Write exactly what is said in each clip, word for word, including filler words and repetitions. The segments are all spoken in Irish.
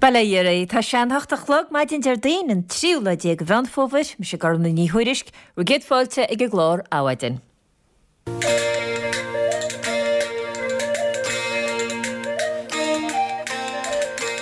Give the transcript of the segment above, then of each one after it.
Bail ó Dhia oraibh. Tá sé an hocht a chlog maidin Déardaoin an tríú lá déag de Mheán Fómhair, mise Gormlaith Ní Thuairisg, bhur gcéad fáilte ag an gclár Adhmhaidin.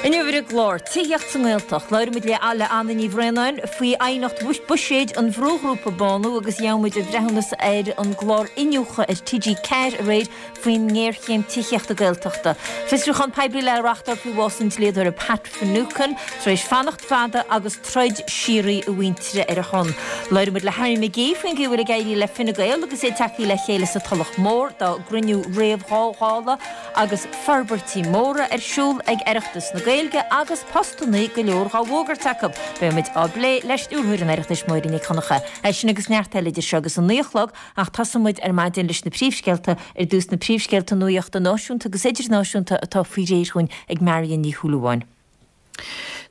Inniu ar an gclár, Tithíocht sa nGaeltacht, labhróidh muid le le Anna Ní Bhraonáin faoi aighneacht buiséid an bhrúghrúpa Bánú agus gheobhaidh muid a breithiúnas ar an gclár Iniúchadh ar T G ceathair aréir faoin ngéarchéim tithíochta Gaeltachta. Fiosrúchán poiblí le reáchtáil faoi bhás an dlíodóra Pat Finucane tar éis fanacht fada agus troid síoraí a mhuintire ar a shon. Labhróidh muid le Harry McGee faoin gcaoi a bhfuil ag éirí le Fine Gael agus iad tagtha le chéile sa Tulach Mhór dá gcruinniú réamh-Dhála agus forbairtí móra ar siúl ag Oireachtas na Gaeilge agus postannaí go leor dhá bhfógairt acu. Beidh muid á bplé le Stiúrthóir an Oireachtais Máire Nic Dhonncha. É sin agus neart eile idir seo agus a naoi a chlog ach tosóidh muid ar maidin leis na príomhscéalta ar dtús na príomhscéalta nuachta náisiúnta agus idirnáisiúnta atá faoi réir dhúinn ag Marion Ní Shúilleabháin.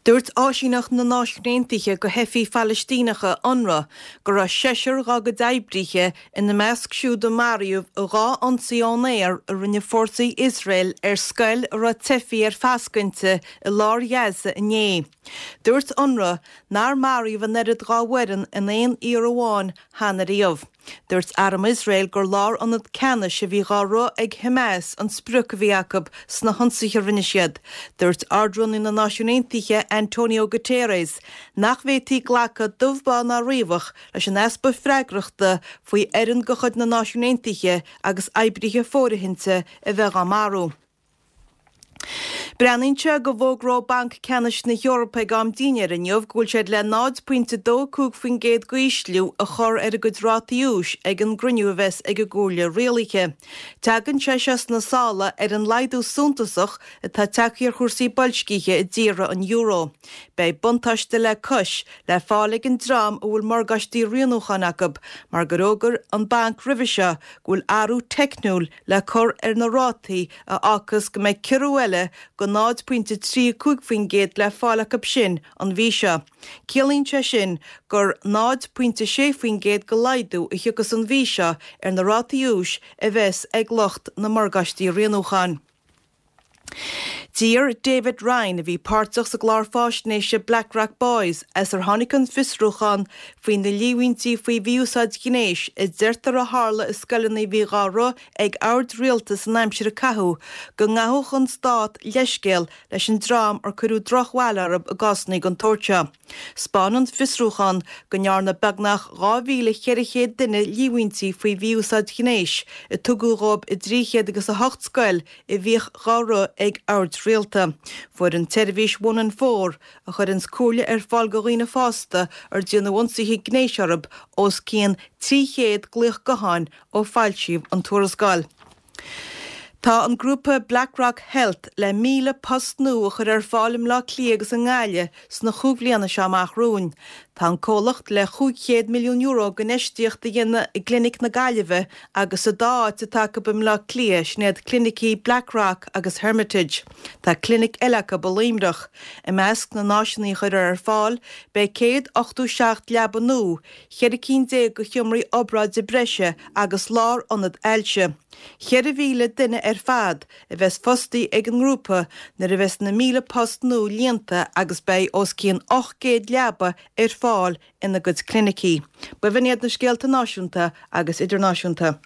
Dúirt Áisíneacht na Náisiún Aontaithe do Theifigh Phalaistíneacha, UNRWA, go raibh seisear dá gcuid oibrithe ina measc siúd a maraíodh i dhá ionsaí ón aer a rinne fórsaí Iosrael ar scoil a raibh teifigh ar fascadh inti i lár Ghaza inné. Dúirt UNRWA nár maraíodh an oiread dá bhfoireann in aon iarraidh amháin cheana riamh. Dúirt Arm Iosrael gur lárionad ceannais a bhí dhá rith ag Hamas an sprioc a bhí acu sna hionsaithe a rinne siad. Dúirt Ard-Rúnaí na Náisiún Aontaithe Antonio Guterres nach bhféadfaí glacadh dubh bán ná riabhach leis an easpa freagrachta faoi fhoireann de chuid na Náisiún Aontaithe agus oibrithe fóirithinte a bheith dhá marú. Breathnaíonn sé go bhfógróidh Banc Ceannais na hEorpa ag am dinnéir inniu go bhfuil siad le náid pointe dó cúig faoin gcéad d'ísliú a chur ar a gcuid rátaí úis ag an gcruinniú a bheas ag an gComhairle Rialaithe. Tagann sé seo sna sála ar an laghdú suntasach atá tagtha ar chúrsaí boilscithe i dtíortha an euro. Beidh buntáiste le cois le fáil ag an dream a bhfuil morgáistí rianúcháin acu mar gur fhógair an banc roimhe seo go bhfuil athrú teicniúil le cur ar na rátaí a fhágfas go mbeidh ciorrú eile go náid pointe trí cúig faoin gcéad le fáil acu sin an mhí seo. Ciallaíonn sé sin gur náid pointe sé faoin gcéad de laghdú a thiocfas an mhí seo ar na rátaí úis a bheas ag lucht na morgáistí rianúcháin. D'iarr David Ryan, a bhí páirteach sa gclár faisnéise Blackrock Boys, as ar tháinig an fiosrúchán faoi na líomhaintí faoi mhí-úsáid ghnéis a deirtear a tharla i scoileanna a bhí dhá rith ag oird rialta san aimsir a caitheadh, go ngabhfadh an stát leithscéal leis an dream ar cuireadh drochbhail orthu i gcásanna den tsórt seo. 'Spáin an fiosrúchán go ndearna beagnach dhá mhíle cheithre chéad duine líomhaintí faoi mhí-úsáid ghnéis a tugadh dhóibh i dtrí chéad agus a hocht scoil a bhíodh dhá rith ag oird rialta. Fuair an tseirbhís One in Four, a chuireanns comhairle ar fáil do dhaoine fásta ar déanadh ionsaithe gnéis orthu, os cionn trí chéad glaoch gutháin ó foilsíodh an tuarascáil. Tá an grúpa Blackrock Health le míle post nua a chur ar fáil i mBleá Cliath agus i nGaillimh sna chúig bhliana seo amach romhainn. Tá an comhlacht le chúig chéad milliún euro d'infheistíocht a dhéanamh i gClinic na Gaillimhe agus sa dá áit atá acu i mBleá Cliath, sin iad clinicí Blackrock agus Hermitage. Tá clinic eile acu i Luimneach. I measc na n-áiseanna a chuirfear ar fáil beidh céad ochtó seacht leaba nua, cheithre cinn déag de sheomraí obráide breise agus lárionad ailse. Ceithre mhíle duine ar fad a bheas fostaí ag an ngrúpa nuair a bheas na míle post nua líonta agus beidh os cionn ocht gcéad leaba ar fáil ina gcuid clinicí. B'in iad na scéalta náisiúnta agus idirnáisiúnta.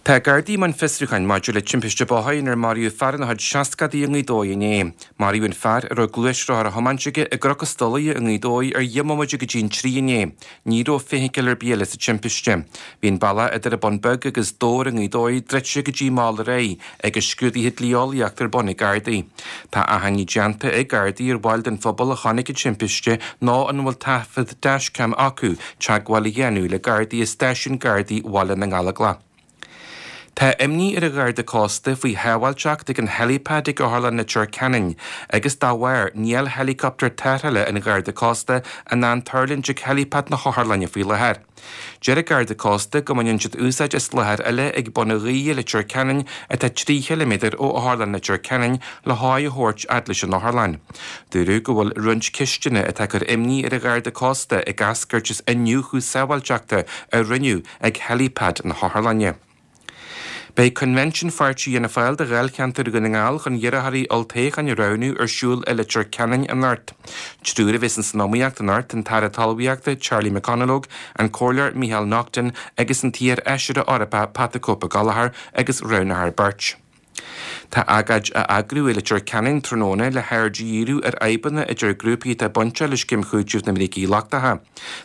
Tá Gardaí i mbun fiosrúcháin maidir le timpiste bóthair inar maraíodh fear ina chuid seascadaí i nGaoth Dobhair inné. Maraíodh an fear a raibh gluaisrothar á thiomáint aige i gCnoc an Stolaire i nGaoth Dobhair ar dheich mbomaite go dtí an trí inné. Ní raibh feithicil ar bith eile sa timpiste. Bhí an bealach idir an Bun Beag agus Dobhar i nGaoth Dobhair druidte go dtí mall aréir agus scrúduithe dlí-eolaíochta ar bun ag Gardaí. Tá achainí déanta ag Gardaí ar bhaill den phobal a chonaic an timpiste nó an bhfuil taifead dashcam acu teagmháil a dhéanamh le Gardaí i Stáisiún Gardaí Bhaile na nGallóglach. Tá imní ar an Gharda Cósta faoi shábháilteacht ag an helipad ag Otharlann Leitir Ceanainn agus dá bharr níl héileacaptar tarrthála an Gharda Cósta in ann tuirlingt ag helipad na hotharlainne faoi láthair. Deir an Garda Cósta go mbaineann siad úsáid as láthair eile ag Bun an Ghaoithe i Leitir Ceanainn atá trí chiliméadar ó Otharlann Leitir Ceanainn le haghaidh a thabhairt fhad leis an otharlann. Dúradh go bhfuil roinnt ceisteanna atá ag cur imní ar an Gharda Cósta ag eascairt as iniúchadh sábháilteachta a rinneadh ag helipad na hotharlainne. Beidh Coinbhinsiún Pháirtí Fhianna Fáil do Dháilcheantar Dhún na nGall chun iarrthóirí olltoghcháin a roghnú ar siúl i Leitir Ceanainn anocht. Triúr a bheas san iomaíocht anocht, an tAire Talmhaíochta Charlie McConalogue, an Comhairleoir Micheál Naughton agus an t-iar-fheisire Eorpach Pat the Cope Gallagher agus roghnófar beirt. Tá agóid á eagrú i Leitir Ceanainn tráthnóna le haird a dhíriú ar fhadhbanna idir grúpaí atá bainteach le Scéim Chúitimh na mBrící Lochtacha.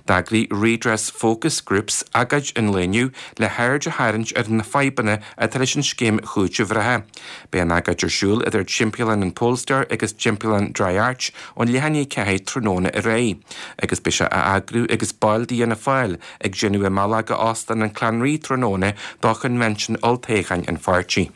D'eagraigh Redress Focus Groups agóid an lae inniu le haird a tharraingt ar na fadhbanna atá leis an scéim chúitimh reatha. Beidh an agóid ar siúl idir Timpeallán an Polestar agus Timpeallán Dry Arch ón leath i ndiaidh a ceathair tráthnóna ar aghaidh, agus beidh sé á eagrú agus baill d'Fhianna Fáil ag déanamh a mbealach go Óstán an Clanree tráthnóna do choinbhinsiún olltoghcháin an pháirtí.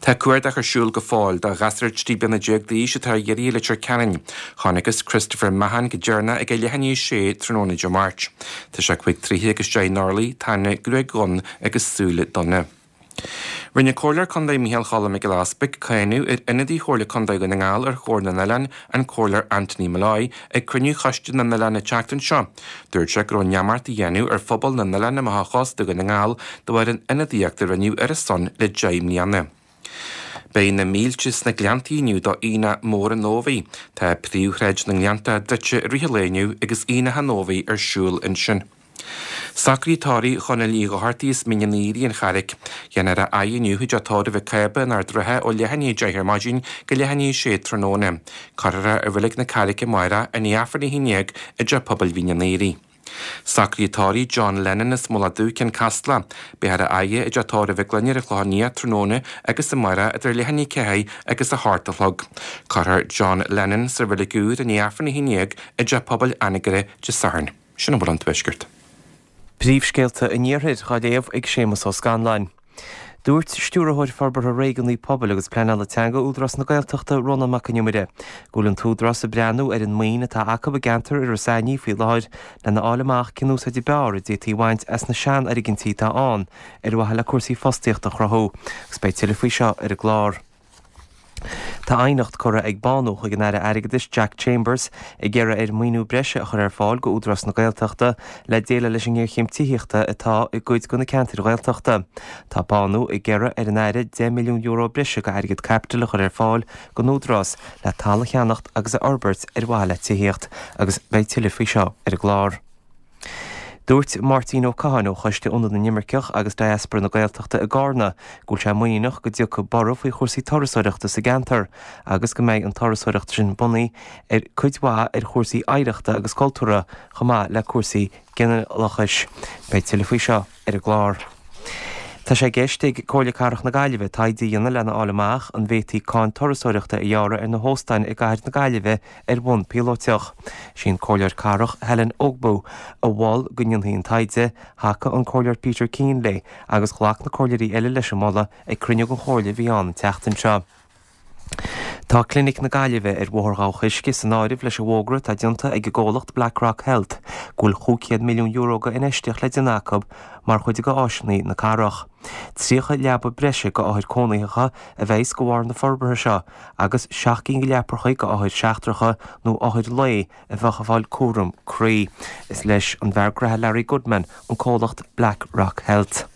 Tá cuardach ar siúl go fóill do ghasúr trí bliana déag d'aois atá ar iarraidh i Leitir Ceanainn. Chonacthas Christopher Mahon go deireanach ag a leath i ndiaidh a sé tráthnóna Dé Máirt. Tá sé cúig troithe agus deich n-orlaí, tá gruaig dhonn agus súile donna. Rinne Comhairleoir Contae Micheál Choilm Mac Giolla Easpaig cáineadh ar ionadaí Chomhairle Contae Dhún na nGall ar Chomhairle na nOileán, an Comhairleoir Anthony Molloy, ag cruinniú Choiste na nOileán an tseachtain seo. Dúirt sé go raibh neamart á dhéanamh ar phobal na n-oileán amach ó chósta Dhún na nGall de bharr an ionadaíocht a rinneadh ar a son le deich mbliana. Beidh na mílte sna Gleanntaí inniu do Aonach Mór an Ómhaigh. Tá príomhshráid na nGleannta druidte i rith an lae inniu agus Aonach an Ómhaigh ar siúl ansin. Socruithe tórraimh Chonaill Uí Dhochartaigh as Mín an Aoire, An Charraic. Déanfar a fhaire inniu i dteach tórraimh Mhic Cába in Ard an Rátha ó leath i ndiaidh a deich ar maidin go leath i ndiaidh a sé tráthnóna. Cuirfear é i Reilig na Carraice amárach i ndiaidh Aifreann a haon déag i dteach pobail Mhín an Aoire. Socruithe tórraimh John Lennon as Mullach Dubh, Cionn Caslach. Beifear á fhaire i dteach tórraimh Mhic Gloinn ar an Chlochán Liath tráthnóna agus amárach idir leath i ndiaidh a ceathair agus a hocht a chlog. Cuirfear John Lennon sa reilig úr i ndiaidh Aifreann a haon déag i dteach pobail Anagaire Dé Sathairn. Sin a bhfuil ón Tuaisceart. Príomhscéalta an Iarthair á léamh ag Séamus Ó Scanláin. Dúirt Stiúrthóir Forbartha Réigiúnaí Pobail agus Pleanála Teanga Údarás na Gaeltachta Rónán Mac Con Iomaire go bhfuil an t-údarás ag breathnú ar an maoin atá acu i gceantar Iorras Aithnigh faoi láthair lena fháil amach cén úsáid ab fhearr a d'fhéadfaí a bhaint as na seanfhoirgintí atá ann ar mhaithe le cúrsaí fostaíochta a chruthú agus beidh tuilleadh faoi seo ar an gclár. Tá aighneacht curtha ag Bánú chuig an Aire Airgeadais Jack Chambers ag iarraidh air maoiniú breise a chur ar fáil go Údarás na Gaeltachta le déileáil leis an ngéarchéim tithíochta atá i gcuid de na ceantair Ghaeltachta. Tá Bánú ag iarraidh ar an Aire deich milliún euro breise go airgead caipitil a chur ar fáil don Údarás le talamh a cheannacht agus a fhorbairt ar mhaithe le tithíocht agus beidh tuilleadh faoi seo ar an gclár. Dúirt Máirtín Ó Catháin ó Choiste Ionad na nImirceach agus Diaspora na Gaeltachta i gCarna go bhfuil sé muiníneach go dtiocfaidh borradh faoi chúrsaí turasóireachta sa gceantar agus go mbeidh an turasóireacht sin bunaithe ar cuid mhaith ar chúrsaí oidhreachta agus cultúrtha chomh maith le cúrsaí ginealachais. Beidh tuilleadh faoi seo ar an gclár. Tá sé i gceist ag Comhairle Cathrach na Gaillimhe taighde a dhéanamh lena fháil amach an bhféadfaí cáin turasóireachta a ghearradh ar na hóstáin i gcathair na Gaillimhe ar bhonn píolótach. Sí an Comhairleoir Cathrach Helen Ogbu a mhol go ndéanfaí an taighde, thacaigh an Comhairleoir Peter Keane léi agus ghlac na comhairleoirí eile leis an moladh ag cruinniú den Chomhairle a bhí ann an tseachtain seo. Tá Clinic na Gaillimhe ar Bhóthar Dhamh Choisce san áireamh leis an bhfógra atá déanta ag an gcomhlacht Blackrock Health go bhfuil chúig chéad milliún euro go infheistíocht le déanamh acu mar chuid de áiseanna na cathrach. Tríocha leaba breise go othair cónaitheacha a bheas go bharr na forbartha seo agus seacht gcinn de leapacha go othair seachtracha nó othair lae a bheadh ag fáil cúram croí. Is leis an bhfear graithe Larry Goodman an comhlacht Blackrock Health.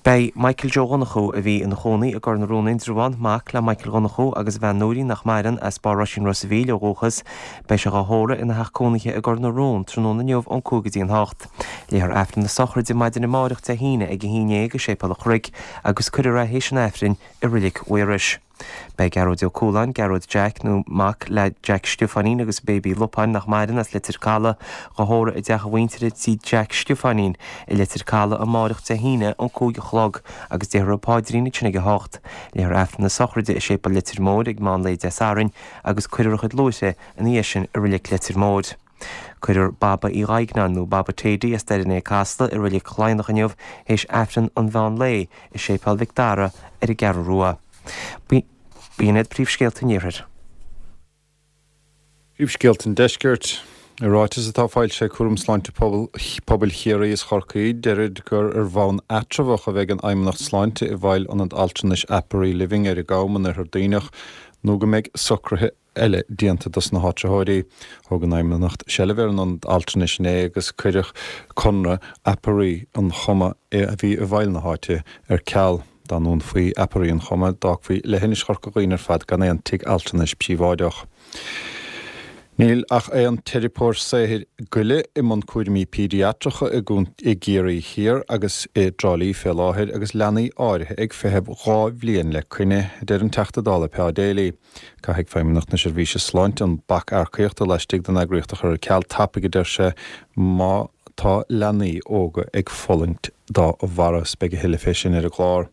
Beidh Michael Joe Dhonnchú, a bhí ina chónaí i gCor na Rón Indreabhán, mac le Michael Dhonnchú agus a bhean Nóirín nach maireann, as Barr Roisín Ros a' Mhíl ó dhúchas, beidh sé dhá thórramh ina theach cónaithe i gCor na Rón tráthnóna inniu ón cúig go dtí an hocht. Léifear Aifreann na sochraide maidin amáireach Dé hAoine ag a haon dhéag i Séipéal an Chnoic agus cuirfear é théis an Aifrinn i Reilig Mhaorais. Beidh Gearóid Ó Cualáin, Gearóid Jack nó mac le Jack Stiofáinín agus Baby Lupáin nach maireann as Leitir Caladh, dhá thórramh i dteach a mhuintire tí Jack Stiofáinín i Leitir Caladh amáireach Dé hAoine ón cúig a chlog agus déarfar an paidrín ansin ag a hocht. Léifear Aifreann na sochraide i Séipéal Leitir Móir ag meán lae Dé Sathairn agus cuirfear a chuid luaithre ina dhiaidh sin i Reilig Leitir Móir. Cuirfear Baba Uí Dhuigneáin nó Baba Tady as Doire an Casla i Reilig Laighneach inniu théis Aifreann an mheán lae i Séipéal Mhic Dara ar an gCeathrú Rua. B'in iad príomhscéalta an Iarthair. Príomhscéalta an Deiscirt. I ráiteas atá foilsithe ag Cúram Sláinte Pobail Chiarraí is Chorcaí, deirid gur ar bhonn eatramhach a bheidh an Fheidhmeannacht Sláinte i bhfeighil Ionad Altranais Apari Living ar an gCam in Oirthear Duibhneach nó go mbeidh socruithe eile déanta dos na háitritheoirí. Thóg an Fheidhmeannacht seilbh ar an ionad altranais inné agus cuireadh conradh Apiary an Choma a bhí i bhfeighil na háite ar ceal. Dá ndúnfaí Apiary an Choma, d'fhágfaí leithinis Chorca Dhuibhne ar fad gan aon tigh altranais príobháideach. Níl ach aon teiripeoir saothair goile i mbun cúraimí péidiatracha i gCiarraí Thiar agus i dTrá Lí fé láthair agus leanaí áirithe ag feitheamh dhá bhliain le coinne, a deir an Teachta Dála Pa Daly. Caithfidh Feidhmeannacht na Seirbhíse Sláinte an bac earcaíochta laistigh den eagraíocht a chur ar ceal tapaidh, a deir sé, má tá leanaí óga ag fulaingt dá bharra. Beidh a thuilleadh fé sin ar an gclár.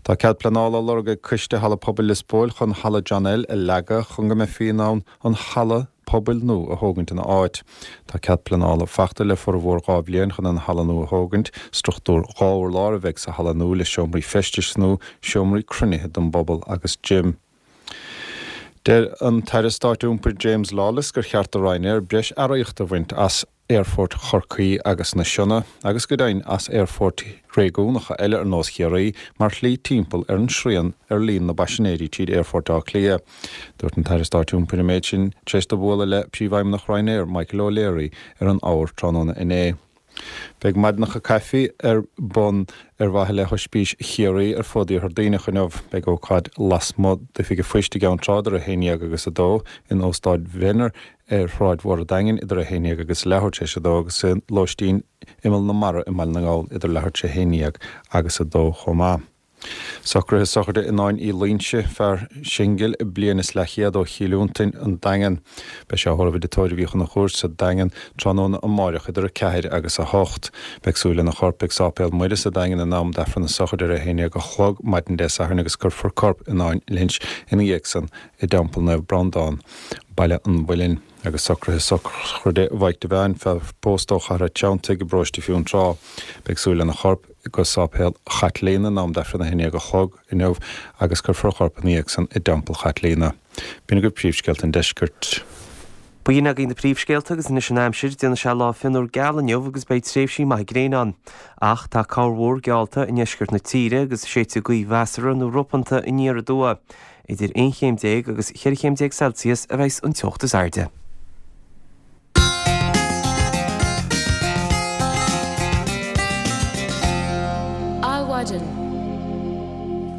Tá cead pleanála á lorg ag Coiste Halla Pobail Lios Póil chun Halla John L a leagadh chun go mbeifí in ann an halla pobail nua a thógaint ina áit. Tá cead pleanála fachta le formhór dhá bhliain chun an halla nua a thógaint. Struchtúr dhá urlár a bheidh sa halla nua le seomraí feistis nua, seomraí cruinnithe don bpobal agus gym. Deir an tAire Stáit Iompair James Lawless gur cheart do Ryanair breis earraíochta a bhaint as Aerfort Chorcaí agus na Sionna, agus go deimhin as aerfoirt réigiúnacha eile ar nós Chiarraí, mar shlí timpeall ar an srian ar líon na bpaisinéirí tríd Aerfort Átha Cliath. Dúirt an tAire Stáit Iompair an méid sin tar éis dó bualadh le Príomhfheidhmeannach Ryanair, Michael O'Leary, ar an Eabhar tráthnóna inné. Beidh maidineacha caife ar bun ar mhaithe le hOispís Chiarraí ar fud Iarthar Duibhneach inniu. Beidh ócáid lasmuigh d'Oifig an Phoist i gCeann Trá idir a haon dhéag agus a dó, in Óstán Venner ar Shráid Mhór an Daingin idir a haon dhéag agus leathuair tar éis a dó agus i Lóistín Imeall na Mara i mBaile na nGall idir leathuair tar éis a haon dhéag agus a dó chomh maith. Socruithe sochraide i nDán Uí Loingsigh, fear singil bliain is leathchéad ó Chill Fhionntain, an Daingean. Beidh sé á thórramh i dTigh Tórraimh Uí Chonchúir sa Daingean tráthnóna amáireach idir a ceathair agus a hocht. Beidh súil lena chorp ag Sáipéal Muire sa Daingean in am d'Aifreann na sochraide ar a haon déag a chlog maidin Dé Sathairn agus cuirfear corp i nDán Lynch ina dhiaidh san i dTeampall Naomh Breandán, Baile an Mhuilinn. Agus socruithe sochraide Mhaidhc Devane, fear pósta ó Chathair a' Treanntaigh i bparóiste Fionntrá. Beidh súil lena chorp go Sáipéal Chaitlíona in am d'Aifreann a haon déag a chlog inniu agus cuirfear a chorp ina dhiaidh san i dTeampall Chaitlíona. B'in agaibh príomhscéalta an deiscirt. B'in agaibh na príomhscéalta agus anois an aimsir, déanfaidh sé lá fionnuar geal inniu agus beidh tréimhsí maithe gréine ann. Ach tá corrmhúr geallta i ndeisceart na tíre agus séidfidh gaoth mheasartha nó ropanta aniar aduaidh. Idir aon chéim déag agus cheithre chéim déag Celsius a bheas an teocht is airde. Adhmhaidin.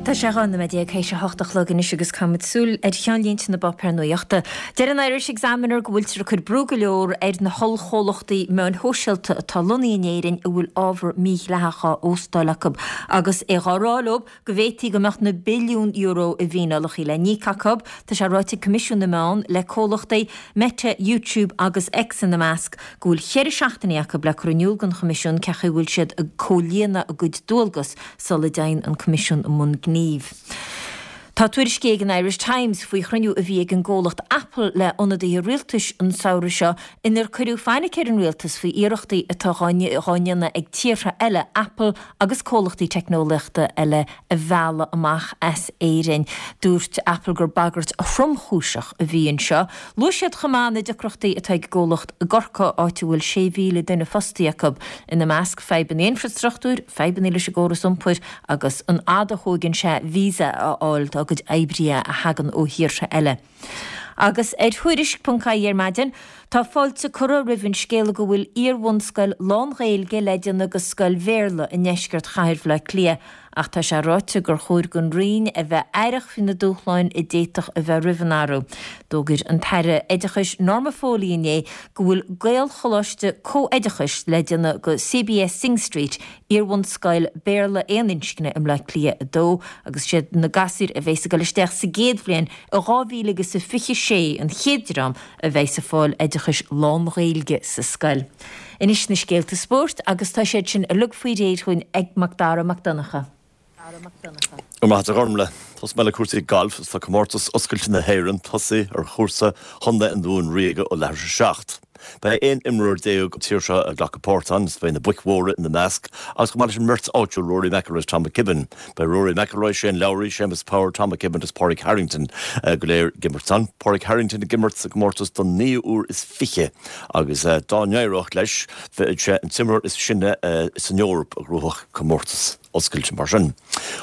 Tá sé dhá nóiméad déag théis a hocht a chlog anois agus caithfimid súil ar cheannlínte na bpáipéar nuachta. Deir an Irish Examiner go bhfuiltear ag cur brú go leor ar na hollchomhlachtaí meáin shóisialta atá lonnaithe in Éirinn a bhfuil ábhar mídhleathach á óstáil acu agus é dhá rá leo go bhféadfaí go mbeadh na billiúin euro i bhfíneálacha le n-íoc acu. Tá sé ráite ag Coimisiún na Meán le comhlachtaí Meta, YouTube agus X ina measc go bhfuil ceithre seachtainí acu le cur in iúl don Choimisiún cén chaoi a bhfuil siad ag comhlíonadh a gcuid dualgas sula dtéann an Coimisiún i mbun gnímh. Tá tuairiscí ag an Irish Times faoi chruinniú a bhí ag an gcomhlacht Apple le ionadaithe rialtais an samhradh seo inar cuireadh fainic ar an rialtas faoi iarrachtaí atá dhá ndéanamh ag tíortha eile Apple agus comhlachtaí teicneolaíochta eile a mhealladh amach as Éirinn. Dúirt Apple gur bagairt thromchúiseach a bhí anseo. Luaigh siad chomh maith na deacrachtaí atá ag an gcomhlacht i gCorcaigh, áit a bhfuil sé mhíle duine fostaithe acu, ina measc fadhbanna infreastruchtúir, fadhbanna leis an gcóras iompair agus an fhad a thógann sé visa a fháil dá gcuid oibrithe a thagann ó thíortha eile. Agus ar Thuairisc ponc ie ar maidin, tá fáilte curtha roimh an scéala go bhfuil iar-bhunscoil lán-Ghaeilge le déanamh de scoil Bhéarla i ndeisceart chathair Bhaile Átha Cliath, ach tá sé ráite gur chóir don Roinn a bheith aireach faoi na dúshláin a d'fhéadfadh a bheith roimh an athrú. D'fhógair an tAire Oideachais Norma Foley inné go bhfuil Gaelcholáiste comhoideachais le déanamh de C B S Synge Street, iar-bhunscoil Béarla aon inscne i mBleá Cliath a dó, agus siad na gasúir a bheas ag dul isteach sa gcéad bhliain i dhá mhíle agus a fiche sé an chéad dream a bheas ag fáil oideachais lán-Ghaeilge sa scoil. Anois na scéalta spóirt agus tá siad sin uilig faoi réir chugainn ag Macdara Mac Donncha. Go raibh maith agat a Ghormlaith. Tosóidh mé le cúrsaí gailf agus tá Comórtas Oscailte na hÉireann tosaithe ar chúrsa Chontae an Dúin Ríoga ó leathuair tar éis a seacht. Beidh aon imreoir déag ón tír seo ag glacadh páirt ann agus beidh na boic mhóra ina measc agus chomh maith leis an mbeirt áitiúil Rory McIlroy agus Tom McKibbin. Beidh Rory McIlroy, Shane Lowry, Séamus Power, Tom McKibbin agus Pádraig Harrington go léir ag imirt ann. Pádraig Harrington ag imirt sa gcomórtas don naoú huair is fiche agus dá n-éireodh leis bheadh sé an t-imreoir is sine san Eoraip a ghnóthódh comórtas. oscailte mar sin.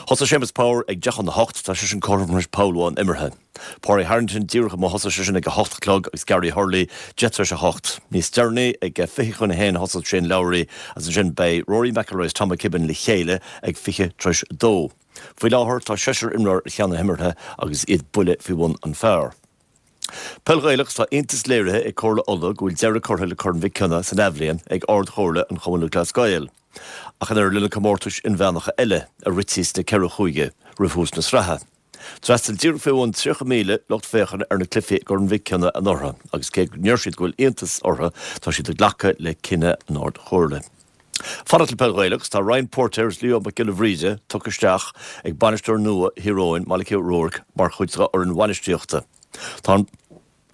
Thosaigh Séamus Power ag deich chun a hocht, tá seisean cothrom tar éis poll amháin imeartha. Pádraig Harrington díreach amuigh thosaigh seisean ag a hocht a chlog agus Gary Hurley deich tar éis a hocht. Níos deireanaí ag fiche chun a haon thosaigh Shane Lowry agus ansin beidh Rory McIlroy is Tom McKibbin le chéile ag fiche tar éis a dó. Faoi láthair tá seisear imreoir ar cheann na himeartha agus iad buille faoi bhun an phar. Peil Ghaelach Tá iontas léirithe ag Comhairle Uladh go bhfuil deireadh curtha le Corn Mhic Cionnaith san athbhliain ag Ard-Chomhairle an Chumann Lúthchleas Gael. Ach an oiread le na comórtais inmheánacha eile a rití sna ceithre chúige roimh thús na sraithe. D'fhreastail díreach faoi bhun tríocha míle lucht féachana ar na cluichí i gCorn Mhic Cionnaith anuraidh agus cé go ndeir siad go bhfuil iontas orthu tá siad ag glacadh le cinneadh an Ard-Chomhairle. Fanacht le peil Ghaelach, tá Ryan Póirtéir is Leo Mac Giolla Bhríde tugtha isteach ag bainisteoir nua Thír Eoghain, Malachy O'Rourke, mar chuid dá fhoireann bhainistíochta. Tá an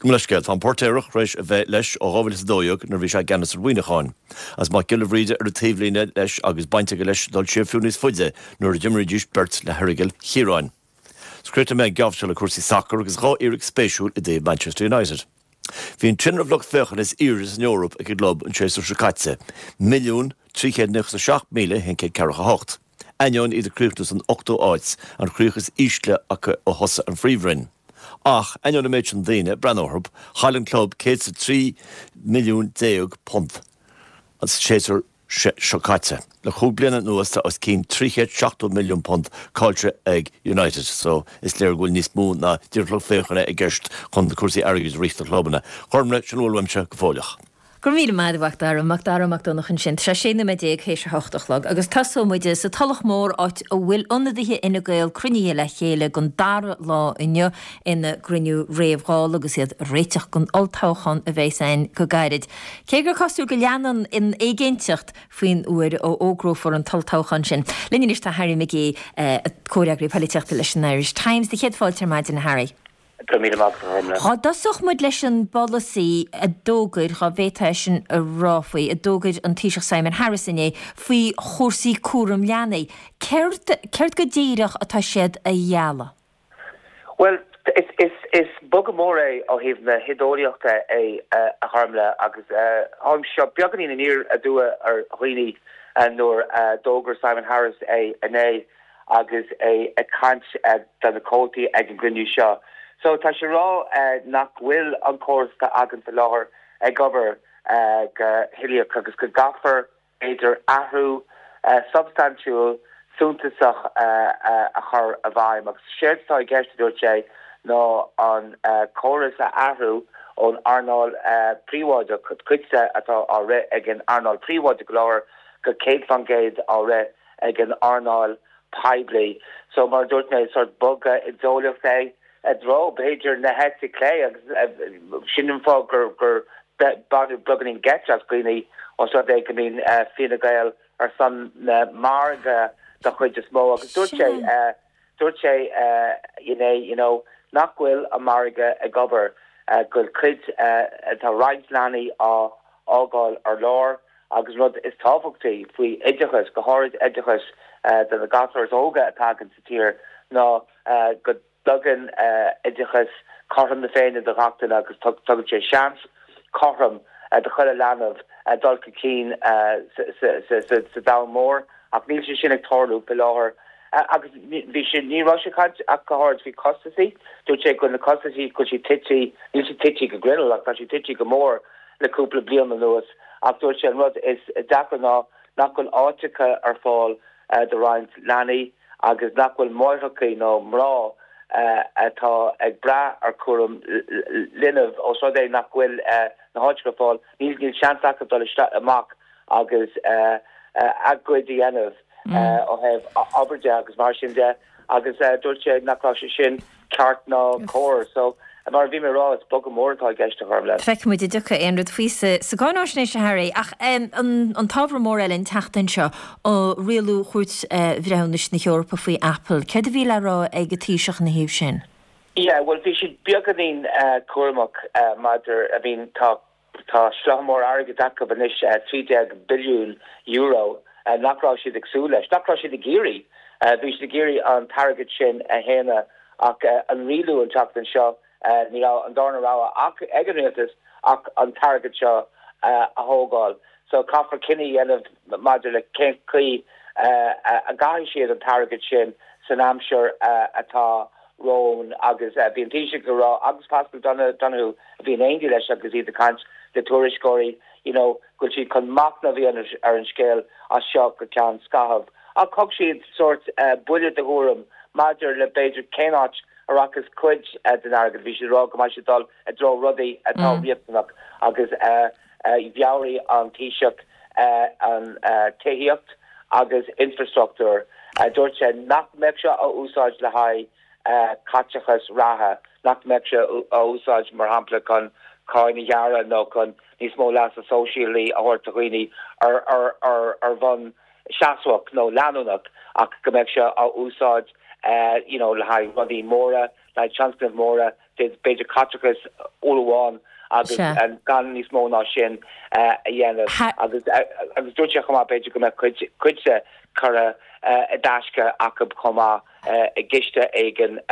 leithscéal, tá an Póirtéireach tar éis a bheith leis ó dhá mhíle is a dó dhéag nuair a bhí sé i gceannas ar Mhuineachán. Agus Mac Giolla Bhríde ar an taobhlíne leis agus baint aige leis dul siar fiú níos faide nuair a d'imrídís beirt le hErrigal Chiaráin. Críochnóidh mé an geábh seo le cúrsaí sacair agus dhá fhíric spéisiúil i dtaobh Manchester United. Bhí an tinreamh lucht féachana is airde san Eoraip ag an gclub an séasúr seo caite, milliún trí chéad nócha is a seacht míle haon céad ceathracha a hocht. Ainneoin iad ag críochnú san ochtú áit, an chríoch is ísle acu ó thosaigh an Phríomhroinn. Ach, ainneoin an méid sin daoine ag breathnú orthu, chaill an club céad is a trí milliún déag punt an séasúr seo caite. Le cúig bliana anuas tá os cionn trí chéad seachtó milliún punt caillte ag United so is léir go bhfuil níos mó ná díreach lucht féachana i gceist chun cúrsaí airgid a rith do chlubanna. Gormlaith, sin a bhfuil uaimse go fóilleach. Go raibh míle maith agat a Mhac Dara, Mac Dara Mac Donncha ansin. Tá sé sé nóiméad déag théis a hocht a chlog agus tosóidh muid sa Tulach Mhór áit a bhfuil ionadaithe Fhine Gael cruinnithe le chéile don dara lá inniu ina gcruinniú réamh-Dhála agus iad ag réiteach don olltoghchán a bheas ann go gairid. Cé gur cosúil go leanann an éiginnteacht faoin uair a fhógrófar an t-olltoghchán sin. Linn anois tá Harry McGee, comhfhreagraí polaitíochta leis an Irish Times. Do chéad fáilte ar maidin, a Harry. Go míle maith agat. Dá dtosódh muid leis an bpolasaí a d'fhógair, dá bhféadfá é sin a rá faoi, a d'fhógair an Taoiseach Simon Harris inné faoi chúrsaí cúram leanaí. Céard, céard go díreach atá siad a ghealladh? Bhuel, is, is, is bogadh mór é ó thaobh na hídeolaíochta é a Ghormlaith agus tháinig seo beagáinín aniar aduaidh ar dhaoine nuair a d'fhógair Simon Harris é inné agus é ag caint do na comhaltaí ag an gcruinniú seo. So tá sé ag rá nach bhfuil an córas atá againn faoi láthair ag obair go huilíoch agus go gcaithfear b'fhéidir athrú substaintiúil suntasach a chur i bhfeidhm. Agus séard atá i gceist, a dúirt sé, ná an córas a athrú ón earnáil príobháideach, cuid de atá á rith ag an earnáil príobháideach go láthair, go céad faoin gcéad á rith ag an earnáil poiblí. So mar a dúirt mé, sórt bogadh idéolaíoch é i dtreo, b'fhéidir, na heite clé agus sin an fáth gur gur baineadh beagáinín geit as dhaoine os rud é go mbíonn Fine Gael ar son na margaidh den chuid is mó agus dúirt sé dúirt sé inné you know nach bhfuil an margadh ag obair, go bhfuil cuid tá roinnt leanaí á fhágáil ar lár agus rud is tábhachtaí faoi oideachas, go háirid oideachas do na gasúir is óga atá againn sa tír ná go dtugann oideachas cothrom na Féinne do ghach duine agus tugann sé seans cothrom do chuile leanbh dul chun cinn sa domhan mór ach níl sé sin ag tarlú faoi láthair. Agus bhí sé, ní raibh sé ag caint ach go háirid faoi costasaí, dúirt sé go bhfuil na costasaí, go bhfuil siad tite, níl siad tite go grinneall ach tá siad tite go mór le cúpla bliain anuas ach dúirt sé an rud is deacra ná nach bhfuil áiteacha ar fáil do roinnt leanaí agus nach bhfuil máithreacha nó mná atá ag brath ar chúram linbh os rud é nach bhfuil na háiteacha ar fáil, níl níl seans acu dul isteach amach agus a gcuid a dhéanamh ó thaobh obair de agus mar sin de agus dúirt sé nach raibh sé sin ceart ná cóir. So, mar a bhí mé ag rá, is bogadh mór atá i gceist, a Ghormlaith. Feicfidh muid an dtiocfaidh aon rud faoi sa gcáináisnéis, a Harry. Ach an t-ábhar mór eile an tseachtain seo, rialú Chúirt Bhreithiúnais na hEorpa faoi Apple. Céard a bhí le rá ag an Taoiseach ina thaobh sin? Yeah, bhuel bhí siad beagáinín cúramach maidir, I mean tá Tá slátha mór airgid acu anois, trí déag billiún euro, nach raibh siad ag súil leis, nach raibh siad ag iarraidh. Bhí siad ag iarraidh an t-airgead sin a shéanadh ach an rialú an tseachtain seo, ní raibh an darna rogha ach ag an rialtas ach an t-airgead seo a thógáil. So caithfear cinneadh a dhéanamh maidir le cén chaoi a gcaithfidh siad an t-airgead sin san aimsir atá romhainn agus bhí an Taoiseach ag rá agus Paschal Donohoe a bhí in éindí leis agus iad ag caint le tuairisceoirí you know go bhfuil siad chun machnamh a dhéanamh ar an scéal as seo go ceann scaithimh. Ach thug siad sórt buille de thuairim maidir le b'fhéidir cén áit a rachas cuid den airgead. Bhí siad ag rá go mbeidh sé ag dul i dtreo rudaí atá riachtanach agus mheabhraigh an Taoiseach an tithíocht agus infrastruchtúr. Dúirt sé nach mbeadh sé á úsáid le haghaidh caiteachas reatha, nach mbeadh sé á úsáid mar shampla chun cáin a ghearradh nó chun níos mó leasa sóisialaí a thabhairt do dhaoine ar bhonn seasmhach nó leanúnach ach go mbeadh sé á úsáid you know le haghaidh rudaí móra, le haghaidh tionscnaimh mhóra, b'fhéidir caiteachas uair amháin agus gan níos mó ná sin a dhéanamh agus agus dúirt sé chomh maith b'fhéidir go mbeadh cuid cuid de curtha i dtaisce acu chomh maith i gciste éigin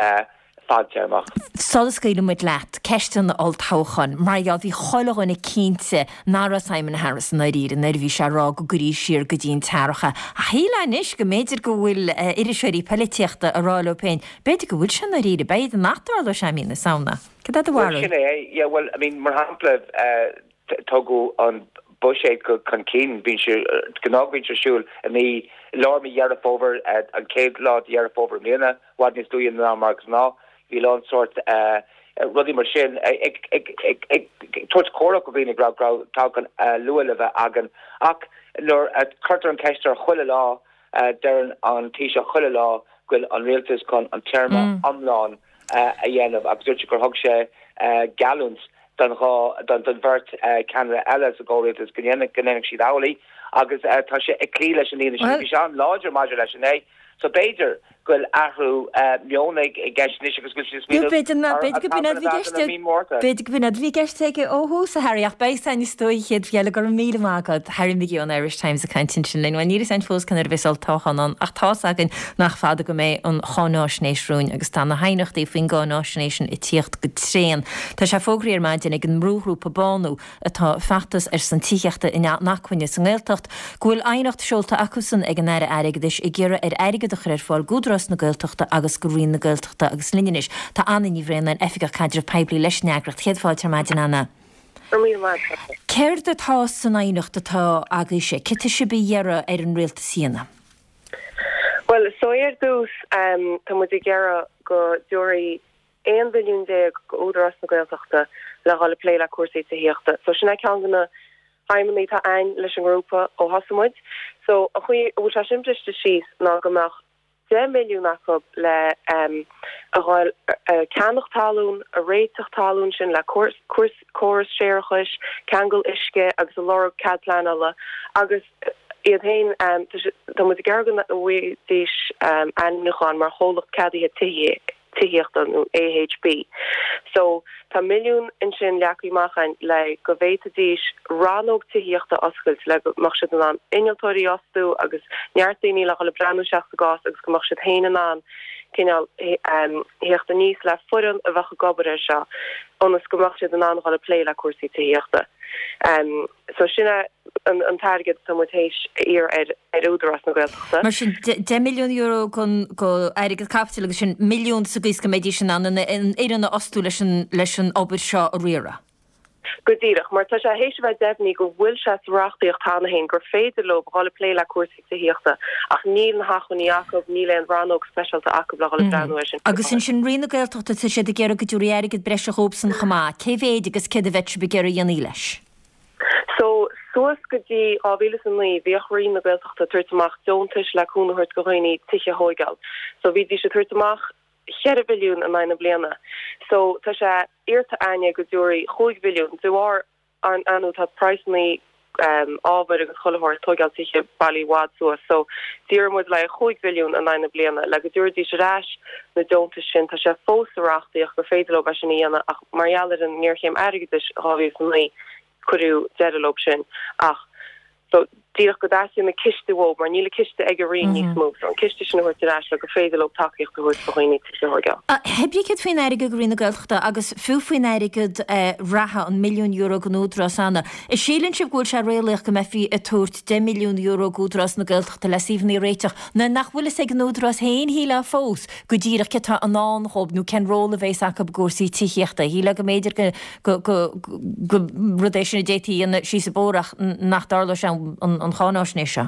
fadtéarmach. Sula scaoileann muid leat, ceist an olltoghcháin, mar gheall, bhí chuile dhuine cinnte nach raibh Simon Harris i ndáiríre nuair a bhí sé ag rá go gcuirfí siar go dtí an t-earrach é. Ach shílfeá anois go mb'fhéidir go bhfuil iriseoirí poilitíochta ag rá leo féin, b'fhéidir go bhfuil sé i ndáiríre, b'fhéidir nach dtarlóidh sé i mí na Samhna. Cad é do Bhuel, bharúil? sin é, yeah, bhuel, I mean, mar shampla, tugadh an buiséad chun cinn, bíonn sé, ghnáth bíonn sé ar siúl i mí, lár mí Dheireadh Fómhair, an chéad lá de Dheireadh Fómhair i mbliana, i bhfad níos luaithe ná mar ghnáth. Bhí a lán sórt rudaí mar sin ag tabhairt comhairle do dhaoine go raibh toghchán luath le bheith againn. Ach nuair a cuirtear an cheist air chuile lá, deireann an Taoiseach chuile lá go bhfuil an rialtas chun an téarma iomlán a dhéanamh agus dúirt sé gur thug sé geallúint don dhá, don bheirt cheannaire eile sa gcomhrialtas go ndéanfadh siad amhlaidh agus tá sé ag cloí leis an líne sin. Bhí sé an-láidir maidir leis inné. So b'fhéidir go bhfuil athrú meoin i gceist anois agus go bhfuil siad ag smaoineamh ar an toghchán a bheith againn i mí Márta. B'fhéidir go b'in é a bhí i gceist aige ó thús, a Harry, ach beidh a fhios againn is dóigh an chéad mhí eile. Go raibh míle maith agat, Harry McGee ón Irish Times ag caint ansin linn. Bhuel, níl a fhios againn fós cén uair a bheas olltoghchán ann, ach tá's againn nach fada go mbeidh an cháináisnéis romhainn agus tá na haighneachtaí faoin gcáináisnéis sin ag tíocht go tréan. Tá sé fógraithe ar maidin ag an mbrúghrúpa Bánú, atá ag feachtas ar son tithíochta inacmhainne sa nGaeltacht, go bhfuil aighneacht seolta acusan ag an Aire Airgeadais ag iarraidh air airgead a chur ar fáil d'Údarás na Gaeltachta agus go Roinn na Gaeltachta agus linn anois tá Anna Ní Bhraonáin, Oifigeach Caidrimh Poiblí leis an eagraíocht. Céad fáilte ar maidin, Anna. Go raibh míle maith agat. Céard atá san aighneacht atá agaibhse? Céard tá sibh a iarraidh ar an Rialtas a dhéanamh? Bhuel, so ar dtús, tá muid ag iarraidh go dtabharfaí aon mhilliún déag go Údarás na Gaeltachta le dhul ag plé le cúrsaí tithíochta. So sin é ceann de na haidhmeanna atá a'ainn leis an ngrúpa ó thosaigh muid. So an chaoi a bhfuil sé sin briste síos ná go mbeadh deich milliún acu le a dhul a ceannach talún, a réiteach talún sin le córas séarachais, ceangal uisce agus a lorg cead pleanála agus iad féin tá muid ag iarraidh go bhfaighidís ainmniúchán mar chomhlacht ceadaithe tithíochta nó AHB. So tá milliún ansin leagtha amach a'ainn le go bhféadfaidís rannóg tithíochta a oscailt le go mbeadh siad in ann innealtóirí a fhostú agus neart daoine le dhul ag breathnú isteach sa gcás agus go mbeadh siad féin in ann cineál theacht aníos le foireann a bheadh ag obair air seo ionas go mbeadh siad in ann dhul ag plé le cúrsaí tithíochta. So sin é an t-airgead atá muid théis a iarraidh ar Údarás na Gaeltachta. Mar sin, deich milliún euro go airgead caipitil agus sin milliún sa gcaoi is go mbeidís in ann an fhoireann a fhostú leis an leis an obair seo a riaradh. Go díreach, mar tá sé théis a bheith deimhnithe go bhfuil sé sa reachtaíocht cheana féin gur féidir leo dhul ag plé le cúrsaí tithíochta ach níl na hacmhainní acu, níl aon rannóg speisialta acu le dhul ag breathnú air sin faoi Agus láthair. ansin Roinn na Gaeltachta, tá siad ag iarraidh go dtabharfaí airgead breise dhóibhsan chomh maith. Cé mhéid agus céard a bheadh sibh ag iarraidh a dhéanamh leis? So, suas go dtí dhá mhíle is a naoi, bhíodh Roinn na Gaeltachta ag tabhairt amach deontais le cúnamh a thabhairt do dhaoine tithe a thóigeáil. So, bhídís ag tabhairt amach cheithre mhilliún in aghaidh na bliana. So, tá sé iarrta a'ainne go dtabharfaí chúig mhilliún. De bharr, ar ndóigh, tá praghsanna ábhair agus chuile shórt tóigeáil tithe bailithe i bhfad suas. So, d'iarr muid le haghaidh chúig mhilliún in aghaidh na bliana le go dtabharfaidís ar ais na deontais sin. Tá sé fós sa reachtaíocht gur féidir leo é sin a dhéanamh ach mar gheall ar an ngéarchéim airgeadais dhá mhíle is a naoi, cuireadh deireadh leo sin. Ach so díreach go dteastaíonn an ciste uathu mar níl an ciste ag an Roinn níos mó so an ciste sin a thabhairt ar ais le gur féidir leo tacaíocht a thabhairt do dhaoine tithe a thógáil. Hé brí céard faoin airgead go Roinn na Gaeltachta agus fiú faoin airgead reatha, an milliún euro don Údarás cheana, an síleann sibh go bhfuil sé réalaíoch go mbeifí ag tabhairt deich milliún euro d'Údarás na Gaeltachta le suíomhanna a réiteach nuair nach bhfuil fhios ag an Údarás féin shílfeá fós go díreach céard atá i ndán dhóibh nó cén ról a bheas acu i gcúrsaí tithíochta? Shílfeá go mb'fhéidir go go go rud é sin a d'fhéadfaí a dhéanamh síos an bóthar ach nach dtarlóidh sé an an cháinaisnéis seo.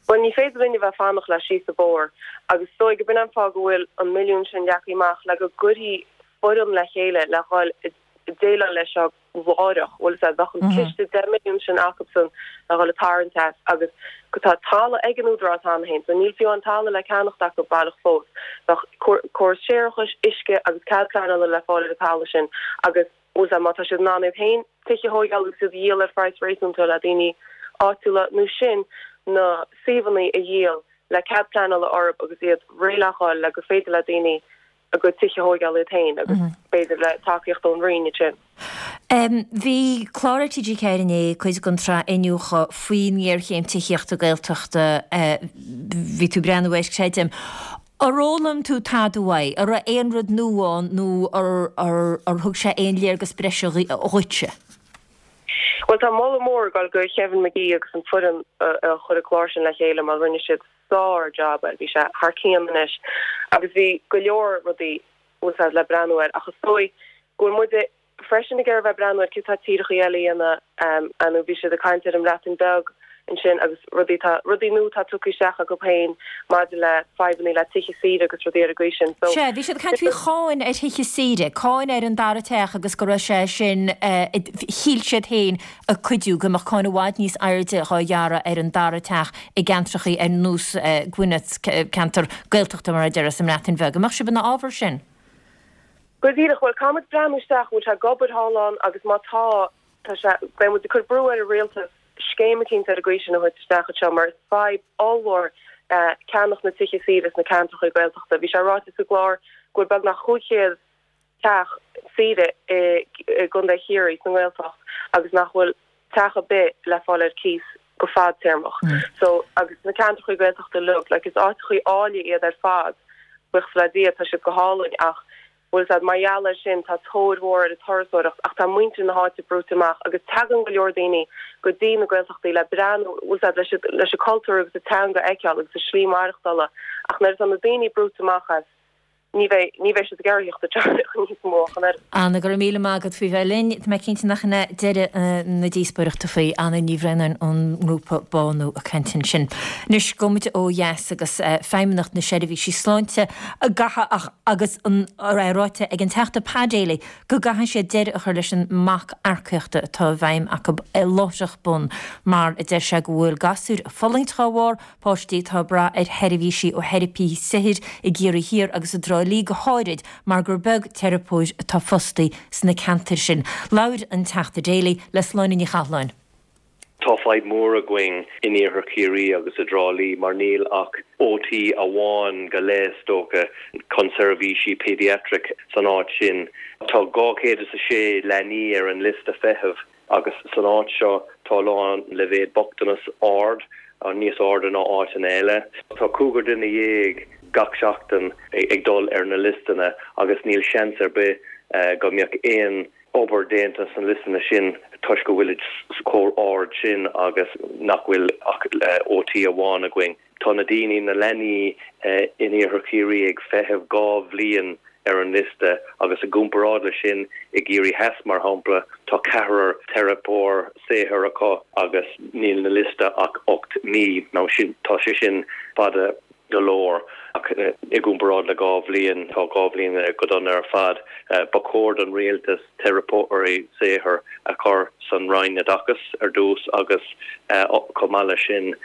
Bhuel ní féidir linn a bheith ag fanacht le síos an bóthar agus is dóigh go b'in an fáth go bhfuil an milliún sin leagtha amach le go gcuirfí foireann le chéile le dhul ag déileáil leis seo láithreach, bhfuil fhios a'd, bheadh an ciste deich milliún sin acusan le dhul ag tarraingt as agus go tá talamh ag an Údarás cheana féin so níl fiú an talamh le ceannacht acu baileach fós. Bheadh córas séarachais, uisce agus cead pleanála le fáil ar an talamh sin agus bhfuil fhios a'd má tá siad in ann iad féin tithe a thógáil agus iad a dhíol ar phraghas réasúnta le daoine áitiúla nó sin na suíomhanna a dhíol le cead pleanála orthu agus iad réidh le dhul le gur féidir le daoine a gcuid tithe a thógáil iad féin agus b'fhéidir le tacaíocht ón Roinn ansin. Bhí clár ar T G ceathair inné, cuid den tsraith Iniúchadh faoin ngéarchéim tithíochta Gaeltachta, bhí tú ag breathnú air, creidim. Ar fhoghlaim tú tada uaidh? An raibh aon rud nua ann nó ar thug sé aon léargas breise dhuitse? Bhuel tá moladh mór ag dul go Kevin McGee agus an foireann a chuir an clár sin le chéile mar rinne siad sár job air, bhí sé thar cionn anois agus bhí go leor rudaí bhfuil fhios a'd le breathnú air ach is dóigh go bhfuil muide freisin ag iarraidh bheith breathnú ar céard atá tíorthaí eile a dhéanamh nó bhí siad ag caint ar an mBreatain Bheag ansin agus rudaí tá rudaí nua atá tugtha isteach acu féin maidir le fadhbanna le tithe saoire agus rudaí ar an gcaoi sin. So Sea, bhí siad ag caint faoi cháin ar thithe saoire, cáin ar an dara teach agus go raibh sé sin, shíl siad féin, ag cuidiú go mbeadh cáin i bhfad níos airde dhá ghearradh ar an dara teach i gceantrachaí ar nós Gwynedd, ceantar Gaeltachta mar a déarfá sa mBreatain Bheag. An mbeadh sibh ina fhabhar sin? Go díreach, bhuel caithfidh muid breathnú isteach, bhfuil sé ag obair thall ann agus má tá, tá sé, beidh muid ag cur brú ar an rialtas scéim eicínt ar an gcaoi sin a thabhairt isteach anseo mar is fadhb ollmhór ceannach na tithe saoire sna ceantracha Gaeltachta. Bhí sé ráite sa gclár go bhfuil beagnach chúig chéad teach saoire i gContae Chiarraí sa nGaeltacht agus nach bhfuil teach ar bith le fáil ar cíos go fadtéarmach. So agus na ceantracha Gaeltachta uilig, like is áiteachaí áille iad ar fad, buíochas le Dia tá siad go hálainn ach bhfuil fhios a'd mar gheall air sin tá tóir mhór ar an turasóireacht ach tá muintir na háite brúite amach agus tagann go leor daoine go dtí na Gaeltachtaí le breathnú bhfuil fhios a'd leis leis an cultúr agus an teanga a fheiceáil agus a slí maireachtála ach nuair atá na daoine brúite amach as ní bheidh ní bheidh siad ag iarraidh teacht níos mó ach an oiread. Anna, go raibh míle maith agat faoi bheith linn. Tá mé cinnte nach in é deireadh na díospóireachta faoi. Anna Ní Bhraonáin ón ngrúpa Bánú ag caint ansin. Anois, gabhfaidh muid ó dheas agus Feidhmeannacht na Seirbhísí Sláinte a gcaithfidh ach agus an é ráite ag an Teachta Pa Daly go gcaithfidh siad deireadh a chur leis an mbac earcaíochta atá i bhfeidhm acu láithreach bonn mar a deir sé go bhfuil gasúir ag fulaingt dá bharr, Páistí atá ag brath ar sheirbhísí ó theiripithe saothair i gCiarraí Thiar agus i dTrá Lí go háirid mar gur beag teiripeoir atá fostaí sna ceantair sin. Labhair an Teachta Daly le Sláine Ní Chathalláin. Tá fadhb mhór againn in iarthar Chiarraí agus i dTrá Lí mar níl ach O T amháin go leith is dócha chun seirbhísí pediatric san áit sin. Tá dhá chéad is a sé leanaí ar an liosta feithimh. Agus san áit seo tá a lán leibhéad bochtanas ard, níos airde ná áiteanna eile. Tá cúigear duine dhéag gach seachtain ag dul ar na liostanna agus níl seans ar bith go mbeadh aon obair déanta sna liostanna sin toisc go bhfuilid chomh ard sin agus nach bhfuil ach O T amháin againn. Tá na daoine, na leanaí in iarthar Chiarraí ag feitheamh dhá bhliain ar an liosta agus i gcomparáid leis sin i gCiarraí Theas, mar shampla, tá ceathrar teiripeoir saothair acu agus níl na liosta ach ocht mí. Now sin, tá sé sin fada go leor ach i gcomparáid le dhá bhliain, tá dhá bhliain go dona ar fad. Ba chóir don rialtas teiripeoirí saothair a chur san Roinn Oideachais ar dtús agus chomh maith leis sin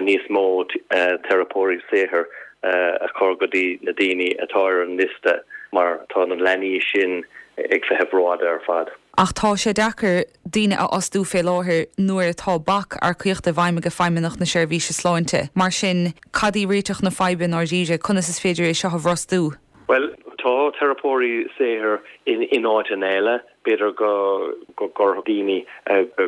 níos mó teiripeoirí saothair a chur go dtí na daoine atá ar an liosta mar tá na leanaí sin ag feitheamh rófhada ar fad. Ach tá sé deacair daoine a fhostú fé láthair nuair atá bac earcaíochta i bhfeidhm ag Feidhmeannacht na Seirbhíse Sláinte. Mar sin, cad í réiteach na faidhbe i ndáiríre? Conas is féidir é seo a bhrostú? Bhuel, Tá teiripeoirí saothair in in áiteanna eile, b'fhéidir go go gcuirfeadh daoine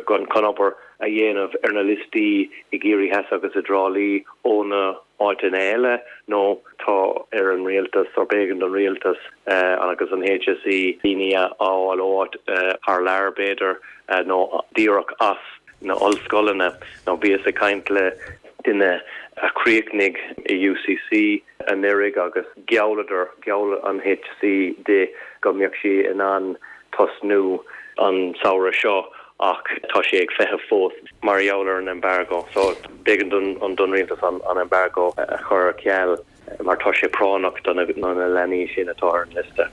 chun obair a dhéanamh ar na liostaí i gCiarraí Theas agus i dTrá Lí ó na áiteanna eile nó tá ar an rialtas or b'éigean don rialtas agus an HSE daoine a fháil ó áit thar lear b'fhéidir nó díreach as na ollscoileanna. Nó bhíos ag caint le duine a chríochnaigh i UCC anuraidh agus ghealladar, gheall an HSE di go mbeadh sí in ann tosnú an samhradh seo ach tá sé ag feitheamh fós mar gheall ar an embargo. So b'éigean don don rialtas an an embargo a chur ar ceal mar tá sé práinneach do na na leanaí sin atá ar an liosta.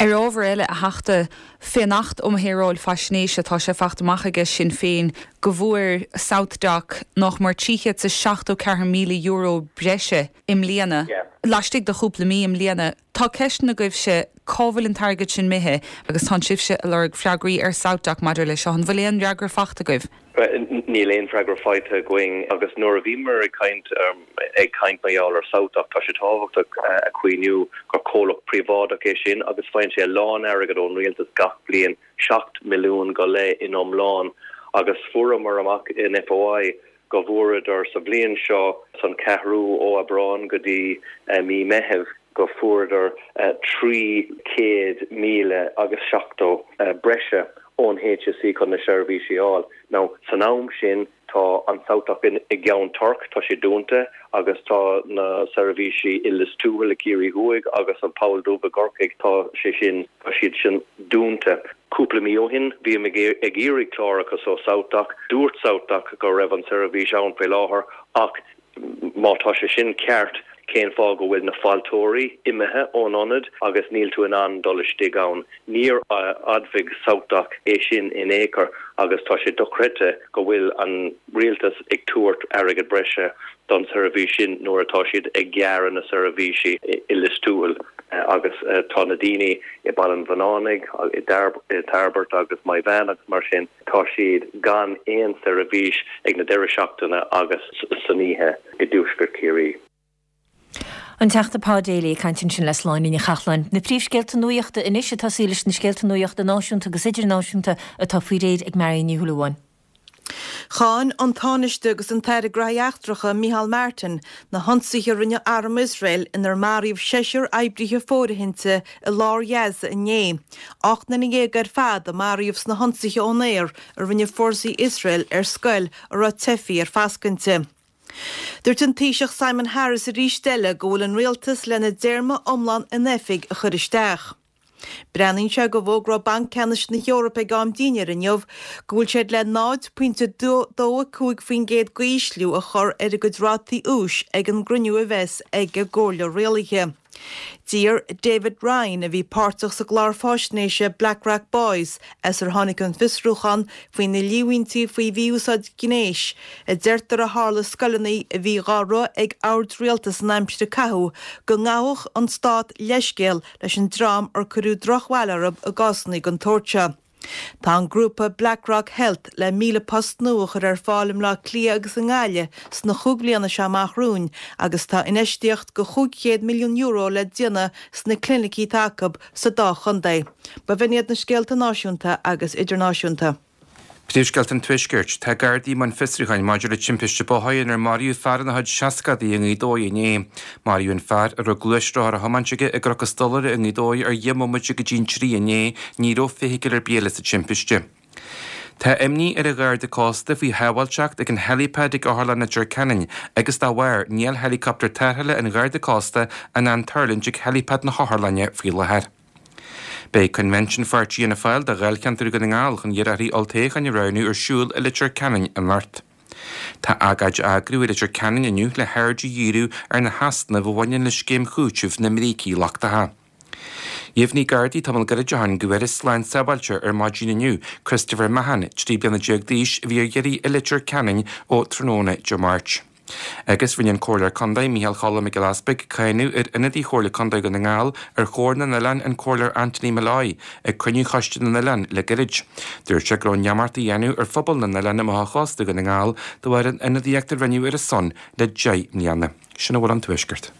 Ar ábhar eile, a Theachta, fén Acht um Shaoráil Faisnéise tá sé fachta amach aige Sinn Féin go bhfuair SouthDoc nach mór trí chéad is seachtó ceathair míle euro breise i mbliana, laistigh de chúpla mí i mbliana. Tá ceisteanna agaibhse cá bhfuil an t-airgead sin imithe agus tá sibhse ag lorg freagraí ar SouthDoc maidir leis seo. An bhfuil aon fhreagra fachta agaibh? Níl aon freagra faighte againn agus nuair a bhíomar ag caint ag caint mar gheall ar SouthDoc, tá sé tábhachtach a chuimhniú gur comhlacht príobháideach é sin agus faigheann sé a lán airgead ón rialtas gach bliain, seacht milliún go leith in iomlán agus fuaireamar amach in FOI go bhfuaireadar sa bhliain seo san ceathrú ó Aibreán go dtí mí Meitheamh go fuaireadar trí chéad míle agus seachtó breise ón HSE chun na seirbhísí a fháil. Now, san am sin tá an SouthDoc i gCeann Toirc, tá sé dúnta agus tá na seirbhísí i Lios Tuathail i gCiarraí Thuaidh agus an Poll Dubh i gCorcaigh, tá sé sin, tá siad sin dúnta. Cúpla mí ó shin bhí mé ag iarraidh clárachas ó SouthDoc, dúirt SouthDoc go raibh an seirbhís ann faoi láthair ach má tá sé sin ceart, cén fáth go bhfuil na fáilteoirí imithe ón ionad agus níl tú in ann dul istigh ann? Níor admhaigh SouthDoc é sin in aon chor agus tá sé dochreidte go bhfuil an rialtas ag tabhairt airgead breise don seirbhís sin nuair atá siad ag gearradh na seirbhísí i Lios Tuathail agus tá na daoine i Baile an Bhunánaigh, i dTairbeart agus Moyvane agus mar sin, tá siad gan aon seirbhís ag na deireadh seachtaine agus san oíche i dtuaisceart Chiarraí. An Teachta Pa Daly ag caint ansin le Sláine Ní Chathalláin. Na príomhscéalta nuachta anois ag tosaí leis na scéalta nuachta náisiúnta agus idirnáisiúnta atá faoi réir ag Marion Ní Shúilleabháin. Cháin an Tánaiste agus an tAire Gnóthaí Eachtracha Micheál Martin na hionsaithe a rinne arm Iosrael inar maraíodh seisear oibrithe fóirithinte i lár Ghaza inné. Ocht nduine dhéag ar fad a maraíodh sna hionsaithe ón aer a rinne fórsaí Iosrael ar scoil a raibh teifigh ar fascadh inti. Dúirt an Taoiseach Simon Harris arís eile go bhfuil an rialtas lena dtéarma iomlán in oifig a chur isteach. Breathnaíonn sé go bhfógróidh Banc Ceannais na hEorpa ag am dinnéir inniu go bhfuil siad le náid pointe dó a cúig faoin gcéad d'ísliú a chur ar a gcuid rátaí úis ag an gcruinniú a bheas ag a gComhairle Rialaithe. D'iarr David Ryan, a bhí páirteach sa gclár faisnéise Blackrock Boys, as ar tháinig an fiosrúchán faoi na líomhaintí faoi mhí-úsáid ghnéis a deirtear a tharla i scoileanna a bhí dhá rith ag oird rialtais san aimsir a caitheadh, go ngabhfadh an stát leithscéal leis an dream ar cuireadh drochbhail orthu i gcásanna den tsórt seo. Tá an grúpa Blackrock Health le míle post nua a chur ar fáil i mBleá Cliath agus i nGaillimh sna chúig bliana seo amach romhainn agus tá infheistíocht de chúig chéad milliún euro le déanamh sna clinicí atá acu sa dá chontae. Ba bh'in iad na scéalta náisiúnta agus idirnáisiúnta. Príomhscéalta an Tuaiscirt, Tá Gardaí i mbun fiosrúcháin maidir le timpiste bóthair inar maraíodh fear ina chuid seascadaí i nGaoth Dobhair inné. Maraíodh an fear, a raibh gluaisrothar á thiomáint aige i gCnoc an Stolaire i nGaoth Dobhair ar dheich mbomaite go dtí an trí inné. Ní raibh feithicil ar bith eile sa timpiste. Tá imní ar an Gharda Cósta faoi shábháilteacht ag an helipad ag Otharlann Leitir Ceanainn agus dá bharr níl héileacaptar tarrthála an Gharda Cósta in ann tuirlingt ag helipad na hotharlainne faoi láthair. Beidh Coinbhinsiún Pháirtí Fhianna Fáil do Dháilcheantar Dhún na nGall chun iarrthóirí olltoghcháin a roghnú ar siúl i Leitir Ceanainn anocht. Tá agóid á eagrú i Leitir Ceanainn inniu le haird a dhíriú ar na heasnaimh a bhaineann le scéim chúitimh na mbrící lochtacha. Dheimhnigh Gardaí tamall gairid ó shin go bhfuarthas slán sábháilte ar maidin inniu Christopher Mahon, trí bliana déag d'aois, a bhí ar iarraidh i Leitir Ceanainn ó tráthnóna Dé Máirt. Agus rinne an Comhairleoir Contae, Micheál Choilm Mac Giolla Easpaig, cáineadh ar ionadaí Chomhairle Contae Dhún na nGall ar Chomhar na nOileán, an Comhairleoir Anthony Molloy, ag cruinniú Choiste na nOileán le gairid. Dúirt sé go raibh neamart á dhéanamh ar phobal na n-oileán amach ó chósta Dhún na nGall de bharr an ionadaíocht a rinneadh ar a son le deich mbliana. Sin a bhfuil ón Tuaisceart.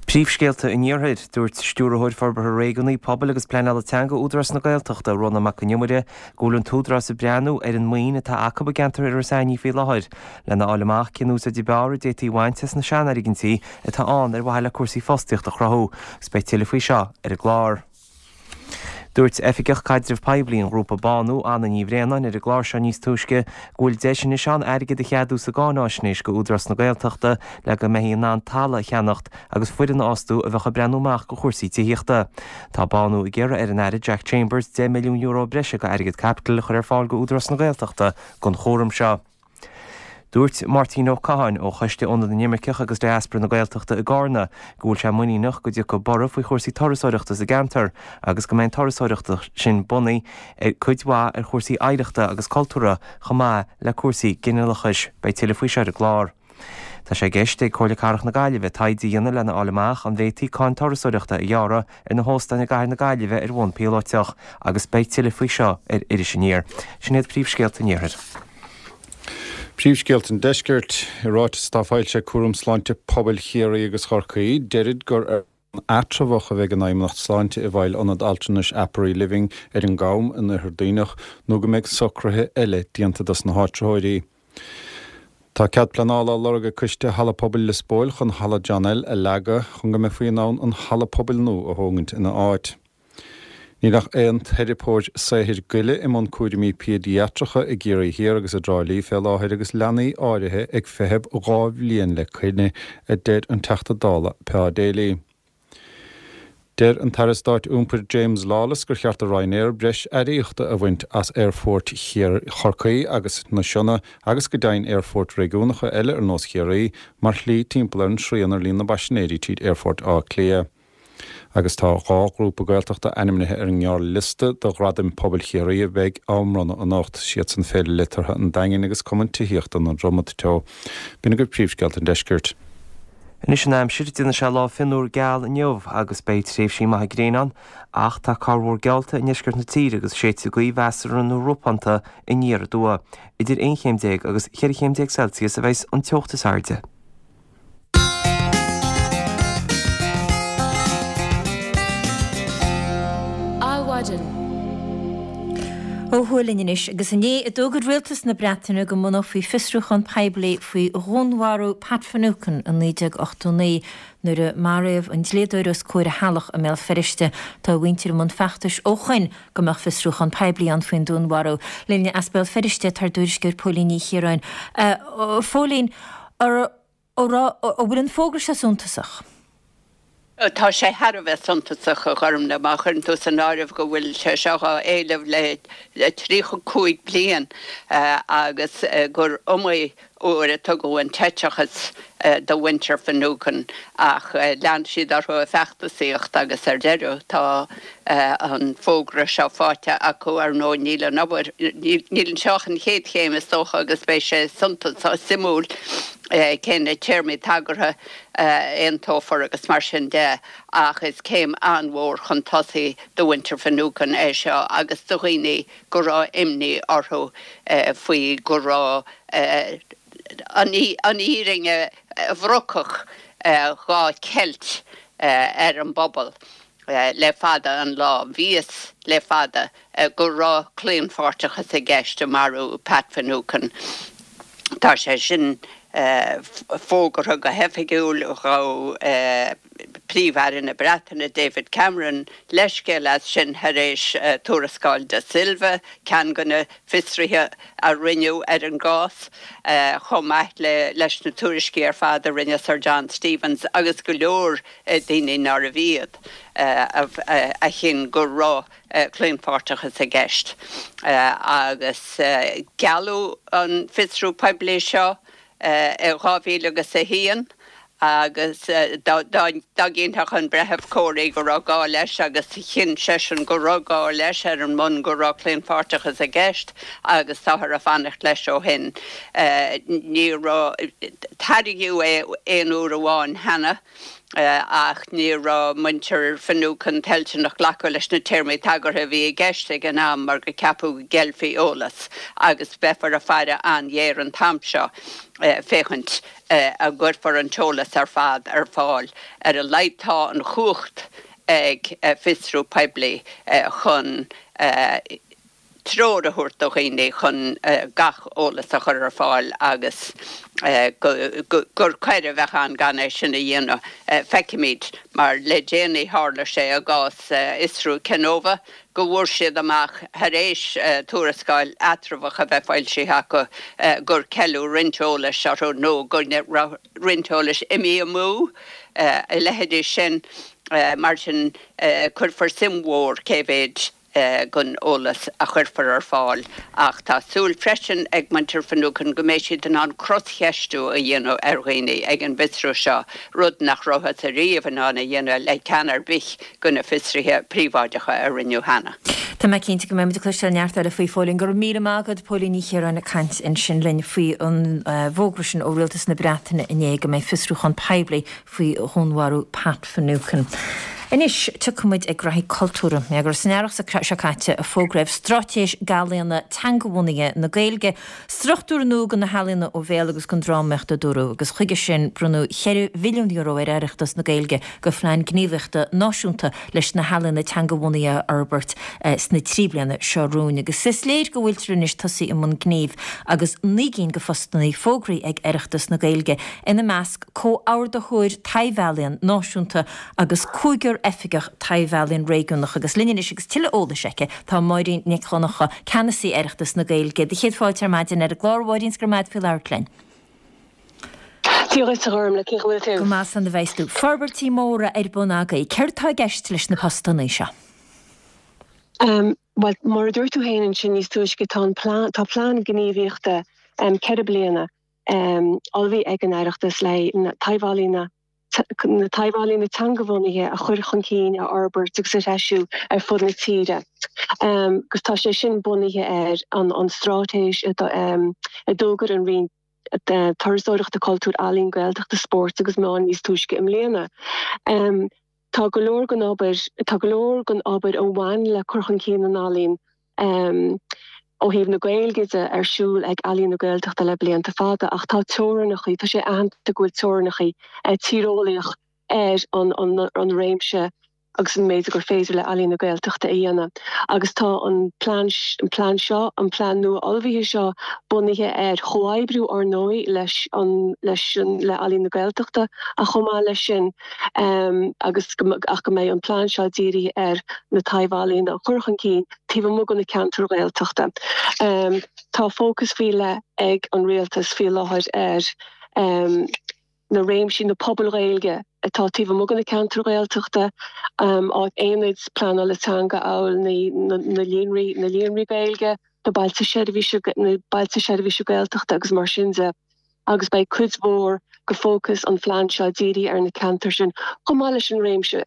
Príomhscéalta an Iarthair, Dúirt Stiúrthóir Forbartha Réigiúnaí, Pobail agus Pleanála Teanga Údarás na Gaeltachta, Rónán Mac Con Iomaire, go bhfuil an tÚdarás ag breathnú ar an maoin atá acu i gceantar Iorras Aithneach faoi láthair lena fháil amach cén úsáid ab fhearr a d'fhéadfaí a bhaint as na seanfhoirgintí atá ann ar mhaithe le cúrsaí fostaíochta a chruthú, agus beidh tuilleadh faoi seo ar an gclár. Dúirt Oifigeach Caidrimh Poiblí an ghrúpa Bánú, Anna Ní Bhraonáin, ar an gclár seo níos túisce go bhfuil deis anois ann airgead a cheadú sa gcáináisnéis go Údarás na Gaeltachta le go mbeifí in ann talamh a cheannacht agus foireann a fhostú a bheadh ag breathnú amach go chúrsaí tithíochta. Tá Bánú ag iarraidh ar an Aire Jack Chambers deich milliún euro breise go airgead caipitil a chur ar fáil go Údarás na Gaeltachta don chúram seo. Dúirt Máirtín Ó Catháin ó Choiste Ionad na nImirceach agus Diaspora na Gaeltachta i gCarna go bhfuil sé muiníneach go dtiocfaidh borradh faoi chúrsaí turasóireachta sa gceantar agus go mbeidh an turasóireacht sin bunaithe ar cuid mhaith ar chúrsaí oidhreachta agus cultúrtha chomh maith le cúrsaí ginealachais. Beidh tuilleadh faoi seo ar an gclár. Tá sé i gceist ag Comhairle Cathrach na Gaillimhe taighde a dhéanamh lena fháil amach an bhféadfaí cáin turasóireachta a ghearradh ar na hóstáin i gcathair na Gaillimhe ar bhonn píolótach agus beidh tuilleadh faoi seo ar Iris Aniar. Sin iad príomhscéalta an Iarthair. Príomhscéalta an Deiscirt, I ráiteas atá foilsithe ag Cúram Sláinte Pobail Chiarraí agus Chorcaí, deirid gur ar bhonn eatramhach a bheidh an Fheidhmeannacht Sláinte i bhfeighil ionad altranais Aperi Living ar an gCam in Oirthear Duibhneach nó go mbeidh socruithe eile déanta dos na háitritheoirí. Tá cead pleanála á lorg ag Coiste Halla Pobail Lios Póil chun Halla John L a leagadh chun go mbeifí in ann an halla pobail nua a thógaint ina áit. Níl ach aon teiripeoir saothair goile i mbun cúraimí péidiatracha i gCiarraí Thiar agus i dTrá Lí fé láthair agus leanaí áirithe ag feitheamh dhá bhliain le coinne, a deir an Teachta Dála Pa Daly. Deir an tAire Stáit Iompair James Lawless gur cheart do Ryanair breis earraíochta a bhaint as aerfoirt Chorcaí agus na Sionna agus go deimhin aerfoirt réigiúnacha eile ar nós Chiarraí mar shlí timpeall ar an srian ar líon na bpaisinéirí tríd Aerfort Átha Cliath. Agus tá dhá ghrúpa Gaeltachta ainmnithe ar an ngearrliosta do Ghradaim Pobail Chiarraí a bheidh á mbronnadh anocht, siadsan Féile Liteartha an Daingin agus Cumann Tithíochta na Dromad Teo. B'in agaibh príomhscéalta an deiscirt. Anois an aimsir, déanfaidh sé lá fionnuar geal inniu agus beidh tréimhsí maithe gréine ann, ach tá corrmhúr geallta i ndeisceart na tíre agus séidfidh gaoth mheasartha nó ropánta aniar aduaidh. Idir aon chéim déag agus cheithre chéim déag Celsius a bheas an teocht is airde. Adhmhaidin. Ó thuaidh linn anois, agus inné a d'fhógair rialtas na Breataine go mbunófaí fiosrúchán poiblí faoi dhúnmharú Pat Finucane i naoi déag ochtó naoi, nuair a maraíodh an dlíodóir os comhair a theaghlach i mBéal Feirste. Tá a mhuintir i mbun feachtais ó shoin go mbeadh fiosrúchán poiblí ann faoin dúnmharú. Linn as Béal Feirste tá ár dtuairisceoir Póilín Ní Chiaráin. A Phóilín, an bhfuil an fógra seo suntasach? Tá sé thar a bheith suntasach, a Ghormlaith, má chuireann tú san áireamh go bhfuil sé seo á éileamh le tríocha cúig bliain agus gur iomaí uair a tugadh an t-eiteachas do mhuintir Finucane ach lean siad orthu ag feachtasaíocht agus ar deireadh tá an fógra seo faighte acu. Ar ndóigh níl an obair, níl seo ach an chéad chéim is dócha agus beidh sé suntasach, suimiúil cé na téarmaí tagartha a aontófar agus mar sin de ach is céim an-mhór chun tosaigh do mhuintir Finucane é seo agus do dhaoine go raibh imní orthu faoi go raibh an fhírinne bhrocach dhá ceilt ar an bpobal le fada an lá. Bhí a fhios le fada go raibh claonpháirteachas i gceist i marú Pat Finucane. Tá sé sin fógartha go hoifigiúil. Ghabh Príomh-Aire na Breataine, David Cameron, leithscéal as sin tar éis tuarascáil Da Silva, ceann de na fiosruithe a rinneadh ar an gcás, chomh maith leis na tuairiscí ar fad a rinne Sir John Stevens agus go leor daoine nárbh iad a chinn go raibh claonpháirteachas i gceist. Agus gealladh an fiosrú poiblí seo i dhá mhíle agus a haon agus dá gcinnfeadh an Breitheamh Corey go raibh gá leis agus chinn seisean go raibh gá leis ar an mbonn go raibh claonpháirteachas i gceist agus táthar ag fanacht leis ó shin. Ní raibh, tairgeadh é aon uair amháin cheana. Ach ní raibh muintir Finucane toilteanach glacadh leis na téarmaí tagartha a bhí i gceist ag an am mar go ceapadh go gceilfí eolas agus beifear ag faire an-ghéar an t-am seo féachaint an gcuirfear an t-eolas ar fad ar fáil. Ar a laghad tá an chumhacht ag fiosrú poiblí chun treoir a thabhairt do dhaoine chun gach eolas a chur ar fáil agus gur coir a bheadh ann gan é sin a dhéanamh. Feicfimid, mar le déanaí tharla sé i gcás fhiosrú Kenova go bhfuair siad amach thar éis tuarascáil eatramhach a bheith foilsithe acu gur ceileadh roinnt eolais orthu nó go raibh roinnt eolais imithe amú, a leithéidí sin. Mar sin cuirfear suim mhór cé mhéid den eolas a chuirfear ar fáil ach tá súil freisin ag muintir Finucane go mbeidh siad in ann croscheistiú a dhéanamh ar dhaoine ag an bhfiosrú seo, rud nach rabhthas ariamh in ann a dhéanamh le ceann ar bith de na fiosruithe príobháideacha a rinneadh cheana. Tá mé cinnte go mbeidh muid ag cloisteáil neart eile faoi Phóilín. Go raibh míle maith agat, Póilín Ní Chiaráin ag caint ansin linn faoi an bhfógra sin ó Rialtas na Breataine inné go mbeidh fiosrúchán poiblí faoi dhúnmharú Pat Finucane. Anois, tiocfaidh muid ag graithí cultúrtha. Gur san earrach seo caite a fógraíodh Straitéis Ealaíona Teangabhunaithe na Gaeilge, struchtúr nua do na healaíona ó bhéal agus don drámaíocht a dúradh, agus chuige sin bronnadh cheithre mhilliún euro ar Oireachtas na Gaeilge do phlean gníomhaíochta náisiúnta leis na healaíona teangabhunaithe a fhorbairt sna trí bliana seo romhainn. Agus is léir go bhfuiltear anois tosaithe i mbun gnímh agus naoi gcinn de phostanna fógraithe ag Oireachtas na Gaeilge, ina measc comhordaitheoir taibh-ealaíon náisiúnta agus cúigear oifigeach taibh-ealaíon réigiúnach. Agus linn anois agus tuilleadh eolais aici tá Máirín Nic Dhonncha, Ceannasaí Oireachtas na Gaeilge. Do chéad fáilte ar maidin ar an gclár, a Mháirín, 's go raibh maith agat faoi labhairt linn. Dia dhuit, a Ghormlaith, cén chaoi a bhfuil tú? Go maith slán a bheas tú. Forbairtí móra ar bun agaibh. Céard tá i gceist leis na postanna seo? Bhuel, mar a dúirt tú féin ansin níos túisce, tá an plean, tá plean gníomhaíochta ceithre bliana ullmhaithe ag an Oireachtas le na taibh-ealaíona na taibh-ealaíona teangabhunaithe a chur chun cinn, a fhorbairt agus a threisiú ar fud na tíre. Agus tá sé sin bunaithe ar an straitéis a d'fhógair an Roinn Turasóireachta, Cultúir, Ealaíon, Gaeltachta, Spóirt agus Meán níos túisce i mbliana. Tá go leor den obair, tá go leor den obair a bhain le cur chun cinn na n-ealaíon ó thaobh na Gaeilge de ar siúl ag Ealaín na Gaeltachta le blianta fada ach tá teorainneacha, tá sé aitheanta go bhfuil teorainneacha tíreolaíoch ar an réimse agus an méid gur féidir le Ealaín na Gaeltachta a dhéanamh. Agus tá an plean an plean seo, an plean nua ullmhaithe seo bunaithe ar chomhoibriú ár ndóigh leis an leis an le Ealaín na Gaeltachta ach chomh maith leis sin agus ach go mbeidh an plean seo dírithe ar na taibh-ealaíona a chur chun cinn taobh amuigh de na ceantair Ghaeltachta. Tá fócas faoi leith ag an Rialtas faoi láthair ar na réimsí, na pobail Ghaeilge atá taobh amuigh de na ceantair Ghaeltachta, aonaid pleanála teanga amhail na líonraí, na líonraí Gaeilge, na bailte seirbhíse, na bailte seirbhíse Gaeltachta agus mar sin de. Agus beidh cuid mhór de fhócas an phlean seo dírithe ar na ceantair sin, chomh maith leis an réimse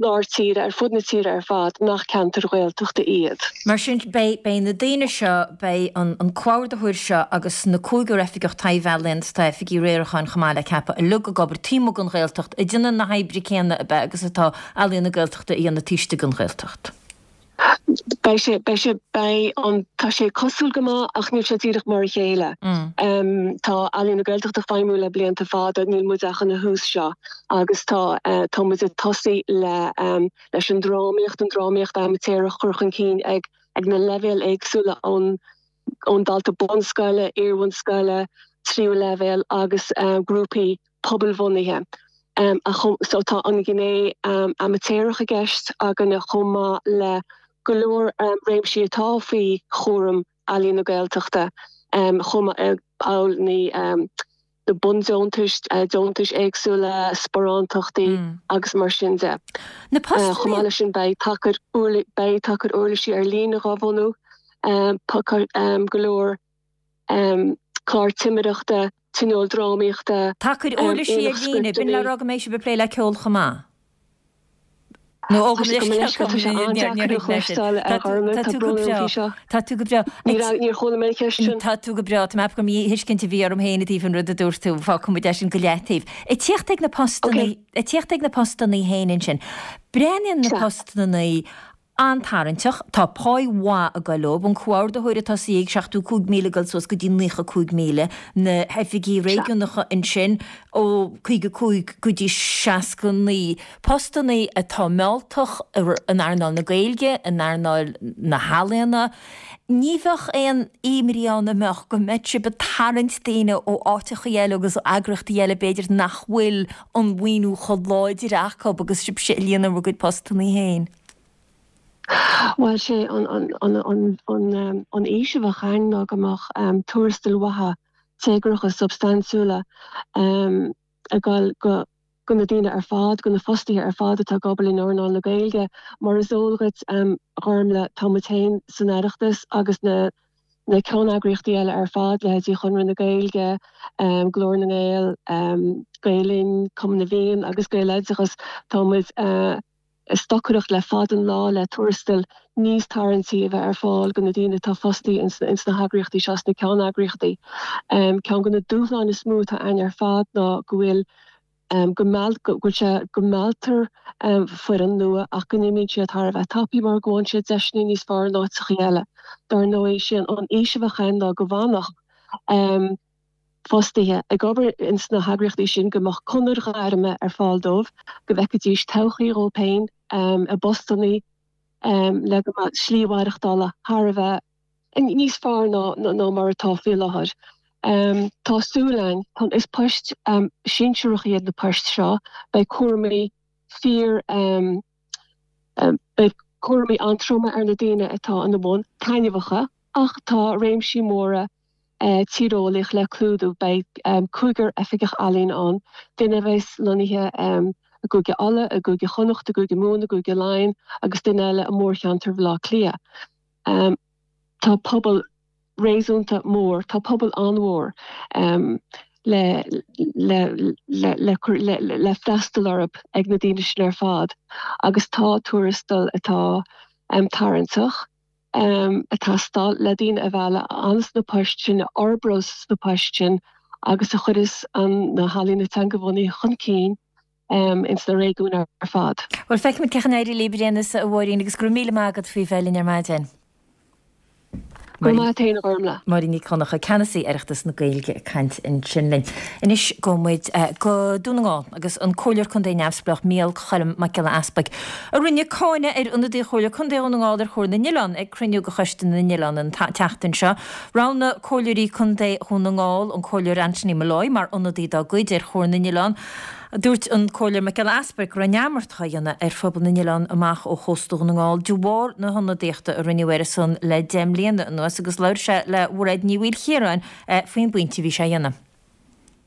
lár tíre, ar fud na tíre ar fad, nach ceantair Ghaeltachta iad. Mar sin, beidh, beidh na daoine seo, beidh an, an comhordaitheoir seo agus na cúigear oifigeach taibh-ealaíon is tá oifigigh riaracháin chomh maith le ceapadh, uilig ag obair taobh amuigh den Ghaeltacht, ag déanamh na hoibre céanna ab ea agus atá Ealaíon na Gaeltachta a dhéanamh taobh istigh den Ghaeltacht. Beidh sé, beidh sé, beidh an, tá sé cosúil go maith ach níl sé díreach mar a chéile. Tá Ealaíon na Gaeltachta ag feidhmiú le blianta fada, níl muid ach ina thús seo agus tá, tá muid ag tosaí le, leis an drámaíocht, an drámaíocht amaitéarach a chur chun cinn ag, ag na leibhéil éagsúla ón, ón dalta bunscoile, iarbhunscoile, tríú leibhéal agus grúpaí pobalbhunaithe. So tá an ghné amaitéarach i gceist againne chomh maith le go leor réimsí atá faoi chúram Ealaíon na Gaeltachta chomh maith amhail na bundeontais, deontais éagsúla, sparántachtaí agus mar sin de. Chomh maith leis sin beidh tacar beidh tacar uirlisí ar líne dhá bhunú, go leor clár timireachta, tionól drámaíochta, Tacar uirlisí ar aonach líne, b'in le scripteanna. rá go mbeidh sibh ag plé le ceol chomh maith? Nó ó, gabh mo leithscéal, Tá sé an-deacair a chloisteáil, a Ghormlaith, tá brón orm faoi seo. Tá tú go breá. Níor chuala mé an cheist sin. Tá tú go breá. Tá mé ag ceapadh gur míthuiscint a bhí orm féin i dtaobh an rud a dúirt tú. Fágfaidh muid é sin go leataobh. Ag tíocht ag na postannaí, ag tíocht ag na postannaí féin ansin. Breathnaíonn na postannaí an-tarraingteach. Tá páí mhaith ag goil leo. An comhordaitheoir atá sa ag seachtó cúig míle ag goil suas go dtí naocha cúig míle. Na hoifigigh réigiúnacha ansin ó caoga cúig go dtí seasca naoi. Postannaí atá mealltach in earnáil na Gaeilge, in earnáil na healaíona. Ní bheadh aon imní ann an mbeadh go mbeadh sibh ag tarraingt daoine ó áiteachaí eile agus ó eagraíochtaí eile b'fhéidir nach bhfuil an mhaoiniú chomh láidir acu agus sibhse ag líonadh bhur gcuid postannaí féin. Bhuel, sé an fhís a bheadh ann ná go mbeadh tuarastail mhaithe, téagartha, substaintiúla ag dul go go na daoine ar fad, go na fostaithe ar fad atá ag obair in earnáil na Gaeilge. Mar is eol dhuit, a Ghormlaith, tá muid féin san Oireachtas agus na na ceanneagraíochtaí eile ar fad, leithéidí Chonradh na Gaeilge, Glór na nGael, Gael Linn, Cumann na bhFiann agus Gaeloideachas, tá muid ag stocaireacht le fada an lá le tuarastail níos tarraingtí a bheith ar fáil do na daoine atá fostaithe ins na heagraíochtaí seo, sna ceanneagraíochtaí. Ceann de na dúshláin is mó atá ann ar fad ná go bhfuil go go bhfuil sé go mealltar foireann nua ach go n-imíonn siad thar a bheith tapaidh mar go bhfaigheann siad deiseanna níos fearr in áiteachaí eile. Dar ndóigh, sé an fhís a bheadh ann ná go bhfanfadh fostaithe ag obair ins na heagraíochtaí sin, go mbeadh conair ghairme ar fáil dóibh, go bhfeicfidís todhchaí dhóibh féin i bpostannaí le go mbeadh slí mhaireachtála thar a bheith níos fearr ná ná mar atá faoi láthair. Tá súil againn, is poist sinsearach iad na poist seo, beidh cúraimí fíor beidh cúraimí an-troma ar na daoine atá ina mbun, taitneamhacha, ach tá réimsí móra tíreolaíoch le clúdú. Beidh cúigear oifigeach ealaíon ann, duine a bheas lonnaithe i gCúige Uladh, i gCúige Chonnacht, i gCúige Mumhan, i gCúige Laighean agus duine eile i mórcheantar Bhaile Átha Cliath. Tá pobal réasúnta mór, tá pobal an-mhór le le le freastal orthu ag na daoine sin ar fad agus tá tuarastal atá tarraingteach. ag teastáil le daoine a mhealladh ins na poist sin, a fhorbródh sna poist sin agus a chuirfeas na healaíona teangabhunaithe chun cinn ins na réigiúin ar fad. Bhuel, feicfimid cén chaoi a n-éireoidh libh ar aon nós, a Mháirín, agus go raibh míle maith agat faoi bheith linn ar maidin. Go raibh maith agat féin, a Ghormlaith. Máirín Nic Dhonncha, Ceannasaí Oireachtas na Gaeilge ag caint ansin linn. Anois gabhfaidh muid go Dún na nGall agus an Comhairleoir Contae Neamhspleách Mícheál Choilm Mac Giolla Easpaig a rinne cáineadh ar ionadaí Chomhairle Contae Dhún na nGall ar Chomhairle na nOileán ag cruinniú de Choiste na nOileán an tseachtain seo. Roghnaigh Comhairleoirí Contae Dhún na nGall an Comhairleoir Anthony Molloy mar ionadaí dá gcuid ar Chomhairle na nOileán. Dúirt an Comhairleoir Mac Giolla Easpaig go raibh neamart á dhéanamh ar phobal na n-oileán amach ó chósta Dhún na nGall de bharr na hionadaíochta a rinneadh air a son le deich mbliana anuas agus labhair sé le Mairéad Ní Mhaoilchiaráin faoin bpointe a bhí sé a dhéanamh.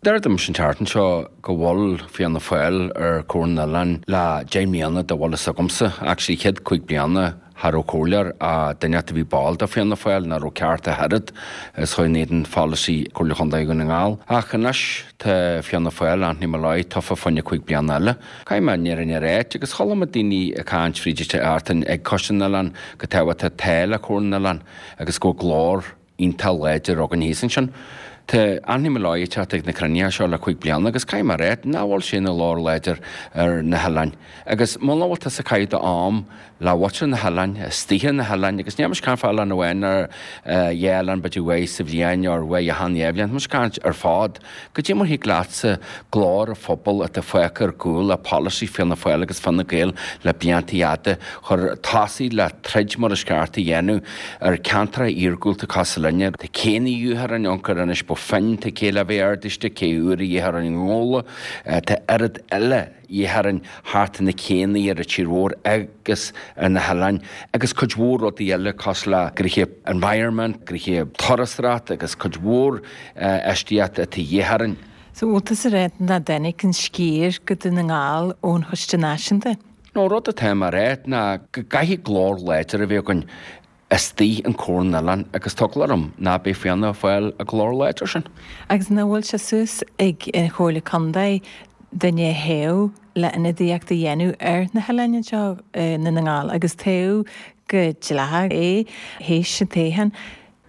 Deir dom an tseachtain seo go bhfuil Fianna Fáil ar Chomhairle na nOileán le deich mbliana dá bhfuil fhios agamsa, actually chéad cúig bliana cha raibh comhairleoir ach duine a bhí ball de Fianna Fáil nach raibh ceart a oiread is chuir in éadan pholasaí Comhairle Chontae Dhún na nGall. Ach anois tá Fianna Fáil, Anthony Molloy, tofa fá choinne cúig bliana eile. Caithfidh mé an fhírinne a ráit agus chuala mé daoine ag caint fríd an tseachtain ag Coiste na nOileán go tábhachtach atá le Comhairle na nOileán agus go bhfuil glór iontach láidir againn thíos ansin. Tá Anthony Molloy ag teacht ag na cruinnithe seo le cúig bliana agus caithfidh mé a ráit nach bhfuil sé ina ghlór láidir ar na hoileáin. Agus muna bhfuil tusa ag caitheamh d'am le muintir na hoileáin, istigh ar na hoileáin, agus níl mise ag caint fá oileán amháin nó dhá oileán b'fhéidir uaidh sa bhliain or uaidh achan dhá bhliain, tá mise ag caint ar fad. Goidé mar thig leatsa glór an phobail atá fágtha ar gcúl le polasaí Fianna Fáil agus Fine Gael le blianta fhada chur tosaigh le troid mar is ceart a dhéanamh ar ceantracha iargúlta cosúil linne. Tá céanna a dhíth orainn ionchur Inis Bó Finne, tá cé le bheith ardaiste, cé uair a dhíth orainn i nGabhla, tá oiread eile dhíth orainn thart ar na céanna ar an tír mhór agus ar na hoileáin agus cuid mhór rudaí eile cosúil le gnoithe environment, gnoithe turasóireacht agus cuid mhór infheistíocht atá a dhíth orainn. So bhfuil tusa ag ráit nach dtáinig an sciar go Dún na nGall ón Choiste Náisiúnta? No, rud atá mé a ráit ná go gcaithfidh glór láidir a bheith againn istigh in Comhairle na nOileán agus tá eagla orm ná beidh Fianna Fáil an glór láidir sin. Agus nach bhfuil sé suas ag an Chomhairle Contae duine a thoghadh le ionadaíocht a dhéanamh ar na hoileáin anseo i nDún na nGall agus toghadh go dleathach é théis an toghcháin.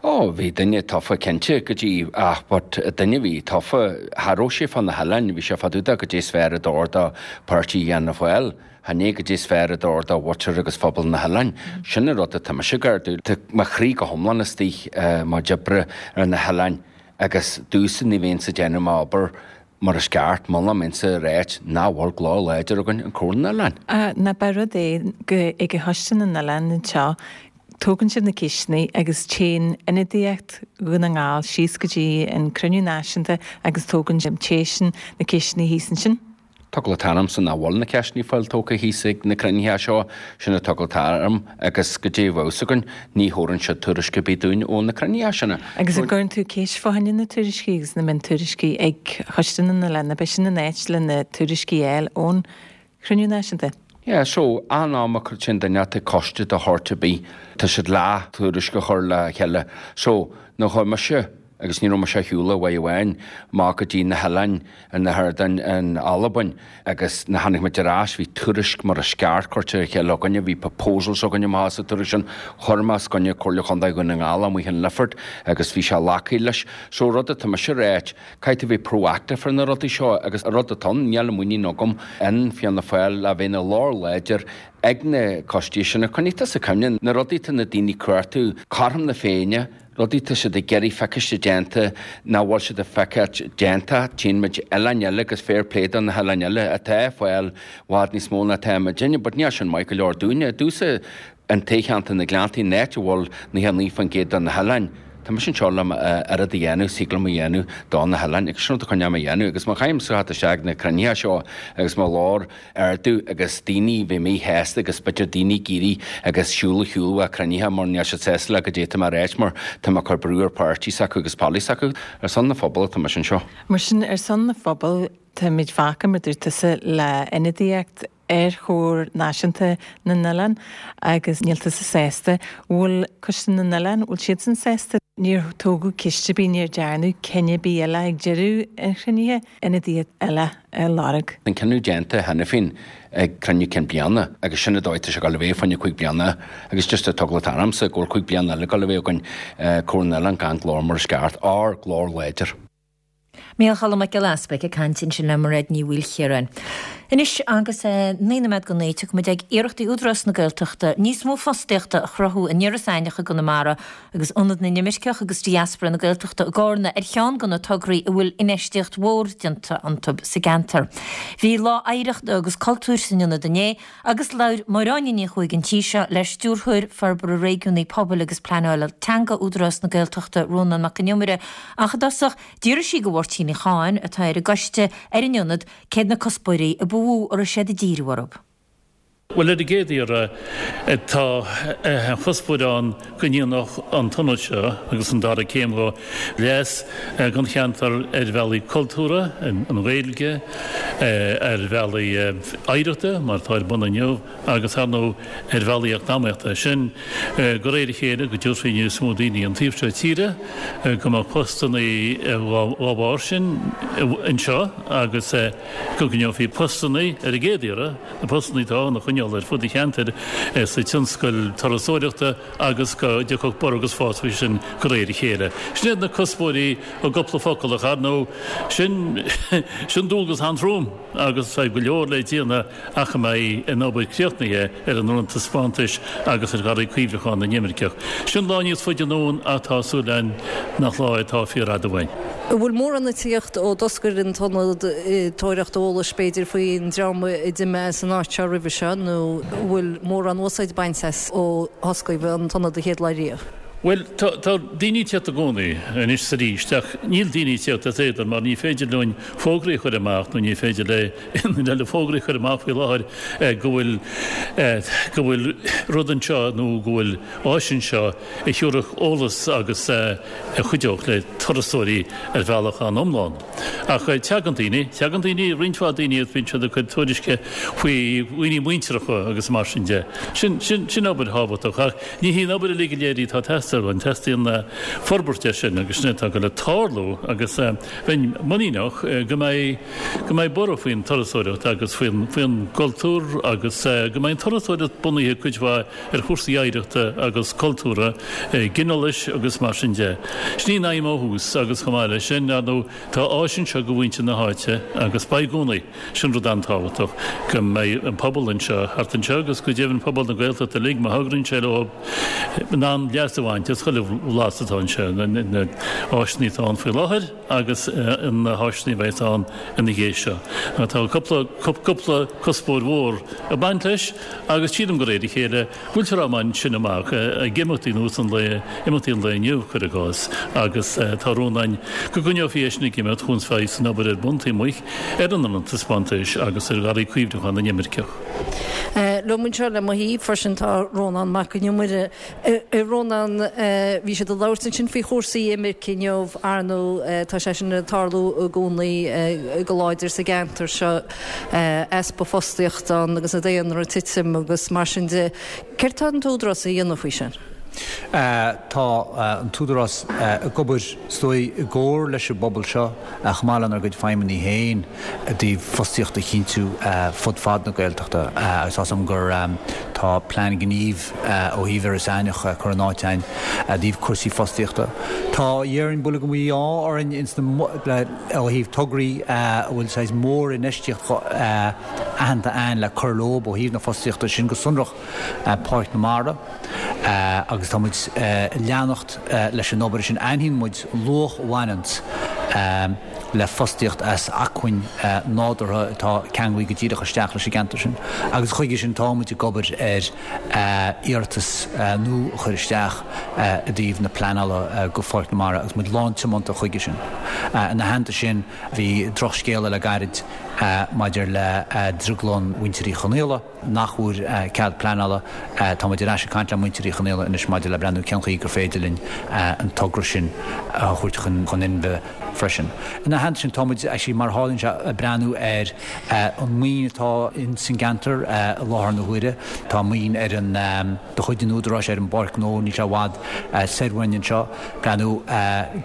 Ó, bhí duine tofa cinnte go dtí ach but duine a bhí tofa cha raibh sé fá na hoileáin, bhí sé fá dtaobh de goidé is fearr a d'fhóir do pháirtí Fhianna Fáil, chan é goidé is fearr a d'fhóir do mhuintir agus phobal na hoileáin. Sin an rud atá mise ag ardú. Tá mo chroí go hiomlán istigh mo chuid oibre ar na hoileáin agus domhsa ní bheinnse ag déanamh m'obair mar is ceart muna mbeinnse ag ráit nach bhfuil glór láidir againn in Comhar na nOileán. Ná ba rud é go ag Coiste na nOileán anseo, tógann sibh na ceisteanna agus téann ionadaíocht Dhún na nGall síos go dtí an cruinniú náisiúnta agus tógann seisean na ceisteanna thíos ansin. Tá eagla ormsa nach bhfuil na ceisteanna fáil tógtha thíos ag na cruinnithe seo, sin atá eagla orm agus goidé a bheadh fhios againn, ní thabharann siad tuairisc ar bith dúinn ó na cruinnithe sin. Agus an gcuireann tú ceist fá choinne na tuairiscí agus na miontuairiscí ag Coiste na nOileán, ab é sin an áit le na tuairiscí a fháil ón chruinniú náisiúnta? Yeah, so, an am a chuir sin duine ag coiste de shórt ar bith, tá siad le tuairisc a chur le chéile. So, nuair a chuir mise agus ní raibh mise ar shiúl uair amháin amach go dtí na hoileáin in na hArdáin in Albain agus nuair tháinig muid ar ais bhí tuairisc mar is ceart curtha ar chéile againne, bhí proposals againne amach sa tuairisc sin, chuir mé os coinne Comhairle Chontae Dhún na nGall amuigh in Lifford agus bhí sé glactha leis. So rud atá mise a ráit, caithfidh tú bheith proactive ar na rudaí seo agus rud atá ann, níl muinín agam in Fianna Fáil le bheith ina ghlór láidir ag na coistí sin. Coinnigh tusa cuimhne, na rudaí atá na daoine ag cuartú, cothrom na Féinne, rudaí tá siad ag iarraidh feiciste déanta nach bhfuil siad ag feiceáilt déanta, tchíonn muid oileáin eile agus fair play do na hoileáin eile atá ag fáil i bhfad níos mó ná atá muidinne, but níl sin maith go leor dúinne. Domhsa an toghcheantar na Gleanntaí, an áit a bhfuil naocha naoi faoin gcéad de na hoileáin, tá mise anseo le m'oiread a dhéanamh, saol liom a dhéanamh do na hoileáin agus sin rud a choinneoidh mé a dhéanamh agus má chaithim suas isteach na cruinnithe seo agus mo ghlór ardú agus daoine bheith míshásta agus b'fhéidir daoine ag éirí agus siúl ar shiúl ó cruinnithe mar níl siad sásta le goidé atá mé a ráit mar tá mé ag cur brú ar páirtí s'acu agus polasaí s'acu. Ar son na phobal atá mise anseo. Mar sin ar son na phobal táimid fágtha mar dúirt tusa le ionadaíocht ar Chomhar Náisiúnta na nOileán agus níl tusa sásta. Bhfuil Coiste na nOileán, bhfuil siadsan sásta? Níor tógadh ceist ar bith, níor dearnadh cinneadh ar bith eile ag deireadh an chruinnithe, ionadaíocht eile a lorg. An cinneadh déanta cheana féin ag cruinniú cinn bliana agus sin an dóigh atá sé ag dul a bheith fá choinne cúig bliana agus just tá eagla ormsa go bhfuil cúig bliana eile ag dul a bheith againn Comhar na nOileán gan glór mar is ceart, ár glór láidir. Micheál Choilm Mac Giolla Easpaig ag caint ansin le Mairéad Ní Mhaoilchiaráin. Anois agus naoi nóiméad go naoi tiocfaidh muid ag iarrachtaí Údarás na Gaeltachta níos mó fostaíochta a chruthú in Iorras Aithneach i gConamara agus Ionad na nImirceach agus Diaspora na Gaeltachta i gCárna ar cheann de na tograí a bhfuil infheistíocht mhór déanta iontu sa gceantar. Bhí lá oidhreachta agus cultúir san ionad inné agus labhair Máire Áine Ní Chuaig an tí seo le Stiúrthóir Forbartha Réigiúnaí Pobail agus Pleanála Teanga Údarás na Gaeltachta Rónán Mac Con Iomaire ach i dtosach d'fhiafraigh sí de Mháirtín Uí Chadhain atá ar an gcoiste ar an ionad céard na cuspóirí a ba mhó a raibh siad ag díriú orthu. Bhuel, ar an gcéad iarraidh, tá an chuspóir ann go ndéanfadh an t-ionad seo agus an dara céim dhó leas don cheantar ar bhealaí cultúrtha, an Ghaeilge, ar bhealaí oidhreachta, mar atá ar bun inniu, agus ar ndóigh ar bhealaí eacnamaíochta. Sin de réir a chéile go dtiocfaidh níos mó daoine an taobh seo tíre, go mbeadh postanna dá bharr sin anseo agus go gcoinneofaí postanna ar an gcéad iarraidh, na postanna atá ann a choinneáil ar fud an cheantair sa tionscal turasóireachta agus go dtiocfadh borradh agus fás faoi sin de réir a chéile. Sin iad na cuspóirí i gcúpla focal ach ar ndóigh sin sin dualgas an-trom agus tá go leor le déanamh ach a mbeidh an obair críochnaithe ar an Ionad Taispeántais agus ar Gharraí Cuimhneacháin na nImirceach. Sin lá níos faide anonn ach tá súil againn nach lá é atá fíorfhada uainn. An bhfuil mórán ag tíocht ó d'oscail an t-ionad ag tóraíocht eolais b'fhéidir faoin dream a d'imigh as an áit seo roimhe seo nó an bhfuil mórán úsáid bainte as ó osclaíodh an t-ionad an chéad lá riamh? Bhuel, tá tá daoine ag tíocht i gcónaí anois is arís ach níl daoine ag tíocht as éadan mar ní féidir linn fógraí a chur amach nó ní féidir le haon duine eile fógraí a chur amach faoi láthair go bhfuil go bhfuil rud anseo nó go bhfuil áis anseo a thabharfadh eolas agus a chuideodh le turasóirí ar bhealach an-iomlán. Ach teagann daoine, teagann daoine, roinnt mhaith daoine agus bíonn siad ag cur tuairisce faoi dhaoine muinteartha agus mar sin de. Sin, sin, sin obair thábhachtach ach ní hí an obair uilig go léir í atá ag teastáil. teastáil. Teastaíonn forbairt air sin agus sin atá ag dul le tarlú agus bheinn muiníneach go mbeidh go mbeidh borradh faoin turasóireacht agus faoin faoin gcultúr agus go mbeidh an turasóireacht bunaithe cuid mhaith ar chúrsaí oidhreachta agus cultúrtha, ginealais agus mar sin de. Sin í an aidhm ó thús agus chomh maith leis sin, ar ndóigh, tá áis anseo do mhuintir na háite agus beidh i gcónaí. Sin rud an-tábhachtach, go mbeidh an pobal anseo, thart anseo agus go deimhin pobal na Gaeltachta uilig, má thograíonn sé leo, in ann leas a bhaint as chuile bhlas atá anseo, na háiseanna atá ann faoi láthair agus na háiseanna a bheas ann ina dhiaidh seo. Tá cúpla, cúpla cuspóir mhór ag baint leis agus sílim de réir a chéile go bhfuiltear á mbaint sin amach ag imeachtaí nós an lae, imeachtaí an lae inniu, cuir i gcás, agus tá rún againn go gcoinneofaí é sin ag imeacht chun feabhais san obair ar bun taobh amuigh ar an Ionad Taispeántais agus ar Gharraí Cuimhneacháin na nImirceach. Liom anseo le mo thaobh freisin tá Rónán Mac Con Iomaire. A Rónán, bhí siad ag labhairt ansin faoi chúrsaí imirce inniu, ar ndóigh tá sé sin ag tarlú i gcónaí go láidir sa gceantar seo, easpa fostaíochta ann agus an daonra ag titim agus mar sin de. Céard tá an tÚdarás a dhéanamh faoi sin? Tá an tÚdarás ag obair, is dóigh, i gcomhar leis an bpobal seo, chomh maith lenár gcuid feidhmeannaigh féin, i dtaobh fostaíocht a chinntiú fud fad na Gaeltachta agus tá 's agam gur tá plean gnímh ó thaobh Iorras Aithneach curtha in áit againn i dtaobh cúrsaí fostaíochta. Tá, dhéarfainn, buille go mí-ádh orainn ins na, ó thaobh tograí a bhfuil saghas mór-infheistíocht aitheanta againn le cur leob ó thaobh na fostaíochta, sin go sonrach Páirc na Mara agus tá muid ag leanacht leis an obair sin. Aithníonn muid an luach a bhaineanns le fostaíocht as acmhainn nádúrtha atá ceanglaithe go díreach isteach leis an gceantar sin agus chuige sin tá muid ag obair ar iarratas nua a chur isteach i dtaobh na pleanála go Pháirc na Mara agus muid lántiomanta chuige sin. Ina theannta sin bhí drochscéala le gairid maidir le drioglann mhuintir Uí Chonaola, nach bhfuair cead pleanála. Tá muid ar ais ag caint le muintir Uí Chonaola anois maidir le breathnú cén chaoi gur féidir linn an togra sin a thabhairt chun inmhe freisin. Ina theannta sin, tá muid, actually, mar a tharlaíonn sé, ag breathnú ar an maoin atá ins an gceantar i láthair na huaire. Tá maoin ar an, de chuid an Údaráis ar an bPáirc Ghnó, níl sé i bhfad soir uainn anseo. Breathnú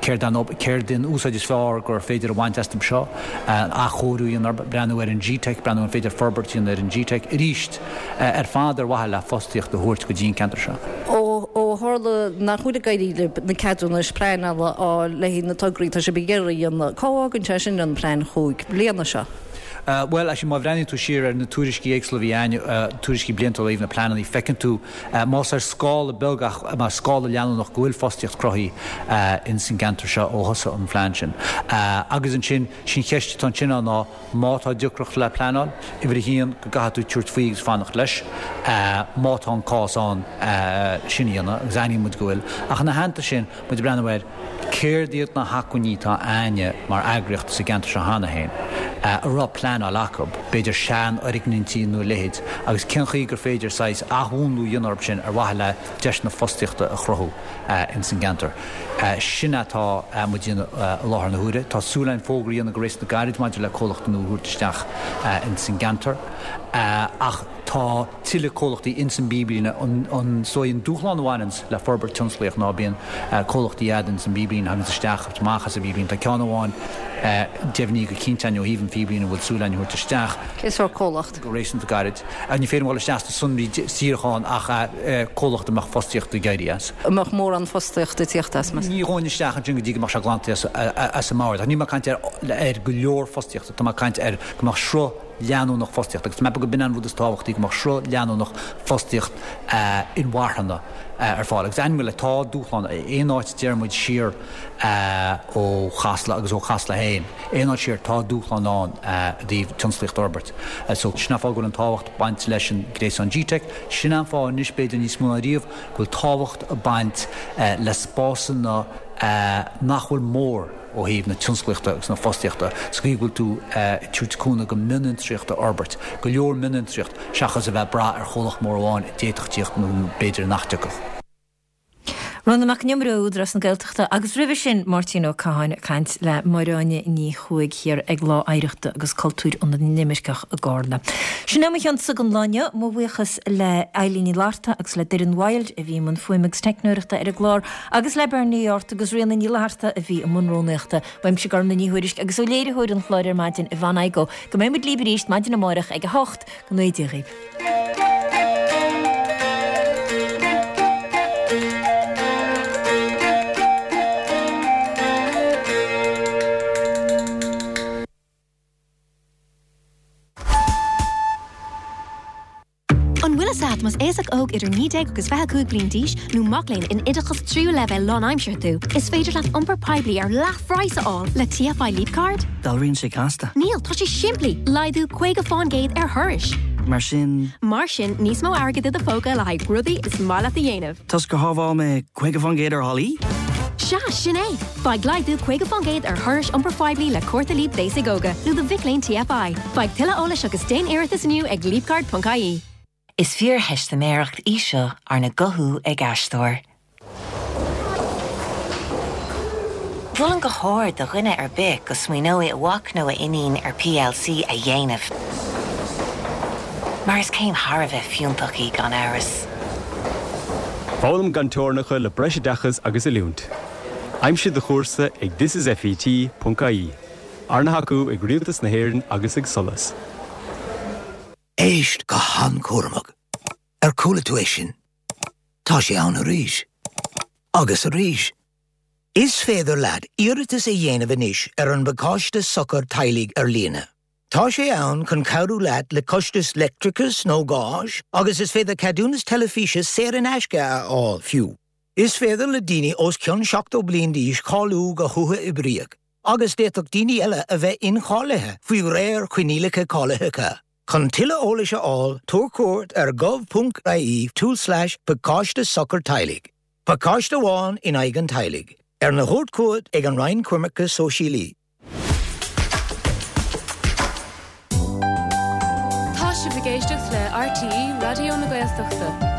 céard an, céard an úsáid is fearr gur féidir a bhaint astu seo, an athchóiriú a dhéanamh orthu, breathnú ar an G-Teic, breathnú an féidir forbairt a dhéanamh ar an G-Teic arís, ar fad ar mhaithe le fostaíocht a thabhairt go dtí an ceantar seo. Ó tharla nach bhfuil ag éirí libh na ceadúnais pleanála a fháil le haghaidh na tograí atá sibh ag iarraidh a dhéanamh, cá bhfágann sé sin an plean chúig bliana seo? Bhuel, actually, má bhreathnaíonn tú siar ar na tuairiscí éagsúla a bhí againn, tuairiscí bliantúla ó thaobh na pleananna, feiceann tú, más ar scála beag ach mar scála leanúnach, go bhfuil fostaíocht cruthaithe ins an gceantar seo ó thosaigh an phlean sin. Agus ansin, sin cheist atá ansin ann ná, má tá deacracht le pleanáil, uimhir a haon, go gcaithfidh tú tabhairt faoi agus fanacht leis, má tá an cás ann sin a dhéanamh, agus aithníonn muid go bhfuil. Ach ina theannta sin, muid ag breathnú ar céard iad na hacmhainní atá a'ainne mar eagraíocht sa gceantar seo cheana féin, a raibh pleanáil acu, b'fhéidir seanfhoirgnintí nó a leithéid, agus cén chaoi gur féidir saghas athmhúnlú a dhéanamh orthu sin ar mhaithe le deiseanna fostaíochta a chruthú ins an gceantar. Sin atá muid a dhéanamh i láthair na huaire. Tá súil againn fógra a dhéanamh go réasúnta gairid maidir le comhlacht nua a thabhairt isteach ins an gceantar ach tá tuilleadh comhlachtaí ins an bpíblíne. An, is dóigh, an dúshlán a bhaineanns le forbairt tionsclaíoch ná bíonn comhlachtaí a'd ins an bpíblíne, thaganns isteach agus amach as an bpíblíne. Tá ceann amháin deimhnithe go cinnte a'inn ó thaobh an phíblíne a bhfuil súil a'inn a thabhairt isteach. Cén sórt comhlacht? go réasúnta gairid. Ní féidir liom dul isteach sna sonraí díreach ann ach comhlacht a mbeadh fostaíocht ag éirí as. An mbeadh mórán fostaíochta ag tíocht as, meas? Ní ghabhfainn isteach ansin go dtí go mbeadh sé glanta as an mbord. Ach níl mé ag caint ar go leor fostaíochta, tá mé ag caint ar go mbeadh sruth leanúnach fostaíochta agus tá mé ag ceapadh go b'in an rud is tábhachtaí, go mbeadh sruth leanúnach fostaíocht inmharthana ar fáil. Agus ainm le tá dúshlán, aon áit a deir muid siar ó Chasla agus ó Chasla féin, aon áit siar tá dúshlán ann i dtaobh tionsclaíocht a fhorbairt. So sin an fáth go bhfuil an tábhacht ag baint leis an gréasán G-Teic, sin an fáth anois b'fhéidir níos mó ná riamh go bhfuil tábhacht ag baint le spásanna nach bhfuil mór ó thaobh na tionsclaíochta agus na fostaíochta, sa chaoi go bhfuil tú ag tabhairt cúnamh go mionfhiontraíocht a fhorbairt, go leor mionfhiontraíocht, seachas a bheith ag brath ar chomhlacht mór amháin a d'fhéadfadh tíocht nó b'fhéidir nach dtiocfadh. Rónán Mac Con Iomaire ó Údarás na Gaeltachta agus roimhe sin Máirtín Ó Catháin ag caint le Máire Áine Ní Chuaig thiar ag Lá Oidhreachta agus Cultúir Ionad na nImirceach i gCarna. Sin é mo chionsa don lá inniu, mo bhuíochas le Eilín Ní Fhlatharta agus le Doireann Wilde a bhí i mbun fuaime agus teicneoireachta ar an gclár agus le Bernie Ort agus Ríona Ní Fhlatharta a bhí i mbun rúnaíochta. Uaimse Gormlaith Ní Thuairisg agus ó léiritheoir an chláir ar maidin Yvonne Igoe go mbeidh muid libh arís maidin amárach ag a hocht go ngnóthaí Dia dhaoibh. An bhfuil fhios agat más aosach óg idir naoi déag agus fiche cúig bliain d'aois nó mac léinn in oideachas tríú leibhéal lánaimseartha tú, is féidir leat iompar poiblí ar leathphraghas a fháil le TFI Leap Card? Dealraíonn sé casta. Níl, tá sé simplí, laghdú caoga faoin gcéad ar thurais. Mar sin. Mar sin níos mó airgid i do phóca le haghaidh rudaí is maith leat a dhéanamh. Toisc gur shábháil mé caoga faoin gcéad ar tháillí? Sea, sin é! Faigh laghdú caoga faoin gcéad ar thurais iompar phoiblí le cárta Leap d'aosaigh óga nó do mhic léinn TFI. Faigh tuilleadh eolais agus déan iarratas inniu ag leapcard.ie. Is fíortheistiméireacht í seo arna guthú ag aisteoir. Mholfainn go hard do dhuine ar bith go smaoineoidh a mhac nó a iníon ar PLC a dhéanamh. Mar is céim thar a bheith fiúntach í gan amhras. Foghlaim gan teorainneacha le breisoideachas agus oiliúint. Aimsigh do chúrsa ag thisisfet.ie. Arna thacú ag Rialtas na hÉireann agus ag SOLAS. Éist go han-chúramach. Ar chuala tú é sin? Tá sé ann arís. Agus arís. Is féidir leat iarratas a dhéanamh anois ar an bpacáiste sochar teaghlaigh ar líne. Tá sé ann chun cabhrú leat le costas leictreachais nó gáis, agus is féidir ceadúnas teilifíse saor in aisce a fháil fiú. Is féidir le daoine os cionn seachtó bliain d'aois cáiliú go huathoibríoch, agus d'fhéadfadh daoine eile a bheith incháilithe faoi réir coinníollacha cáilitheacha. Chun tuilleadh eolais a fháil, tabhair cuairt ar gov.ie tulslais pacáiste sochar teaghlaigh. Pacáiste amháin in aghaidh an teaghlaigh. Arna thabhairt chugat ag an Roinn Coimirce Sóisialaí. Tá sibh ag éisteacht le RTÉ Raidió na Gaeltachta.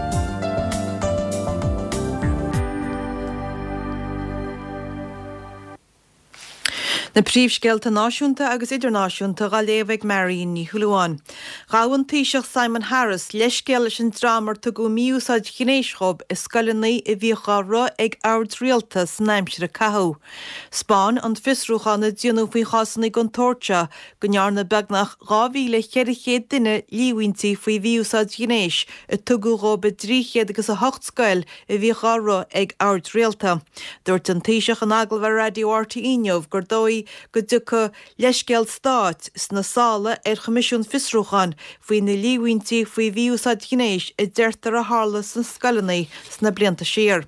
Na príomhscéalta náisiúnta agus idirnáisiúnta á léamh ag Marion Ní Shúilleabháin. Ghabh an Taoiseach Simon Harris leithscéal leis an dream ar tugadh mí-úsáid ghnéis dhóibh i scoileanna a bhíodh á rith ag oird rialta san aimsir a caitheadh. 'Spáin an fiosrúchán a déanadh faoi chásanna den tsórt seo go ndearna beagnach dhá mhíle cheithre chéad duine líomhaintí faoi mhí-úsáid ghnéis a tugadh dhóibh i dtrí chéad agus a hocht scoil a bhíodh á rith ag oird rialta. Dúirt an Taoiseach in agallamh ar Raidió RTÉ inniu gur dóigh go dtiocfadh leithscéal stáit sna sála ar Choimisiún Fiosrúcháin faoi na líomhaintí faoi mhí-úsáid ghnéis a deirtear a tharla sna scoileanna sna blianta siar.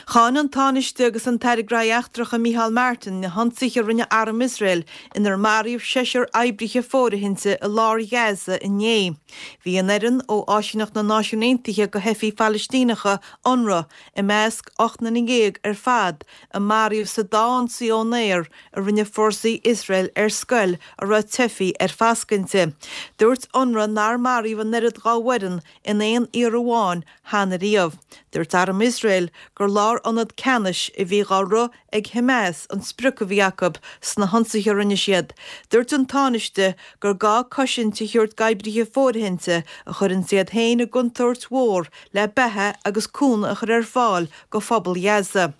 Cháin an Tánaiste agus an tAire Gnóthaí Eachtracha Micheál Martin na hionsaithe a rinne arm Iosrael inar maraíodh seisear oibrithe fóirithinte i lár Ghaza inné. Bhí an fhoireann ó Áisíneacht na Náisiún Aontaithe do Theifigh Phalaistíneacha, Unrwa, i measc ocht nduine dhéag ar fad a maraíodh sa dá ionsaí ón aer a rinne fórsaí Iosrael ar scoil a raibh teifigh ar foscadh inti. Dúirt Unrwa nár maraíodh an oiread dá bhfoireann in aon iarraidh amháin cheana riamh. Dúirt arm Iosrael gur lárionad ceannais a bhí á rith ag Hamas an sprioc a bhí acu sna hionsaithe a rinne siad. Dúirt an Tánaiste gur gá cosaint a thabhairt d'oibrithe fóirithinte a chuireann iad féin i gcontúirt mhór le beatha agus cúnamh a chur ar fáil do phobal Ghaza.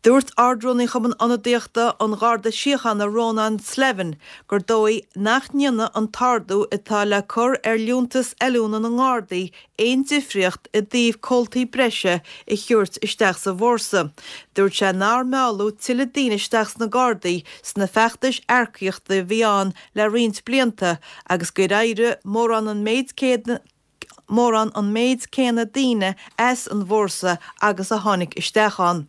Dúirt Ard-Rúnaí Chumann Ionadaíochta an Gharda Síochána Rónán Slevin gur dóigh nach ndéanfaidh an t-ardú atá le cur ar liúntas oiliúna na nGardaí aon difríocht i dtaobh comhaltaí breise a thabhairt isteach sa bhfórsa. Dúirt sé nár mealladh tuilleadh daoine isteach sna Gardaí sna feachtais earcaíochta a bhí ann le roinnt blianta agus gur éirigh mórán an méid céanna mórán an méid céanna daoine as an bhfórsa agus a tháinig isteach ann.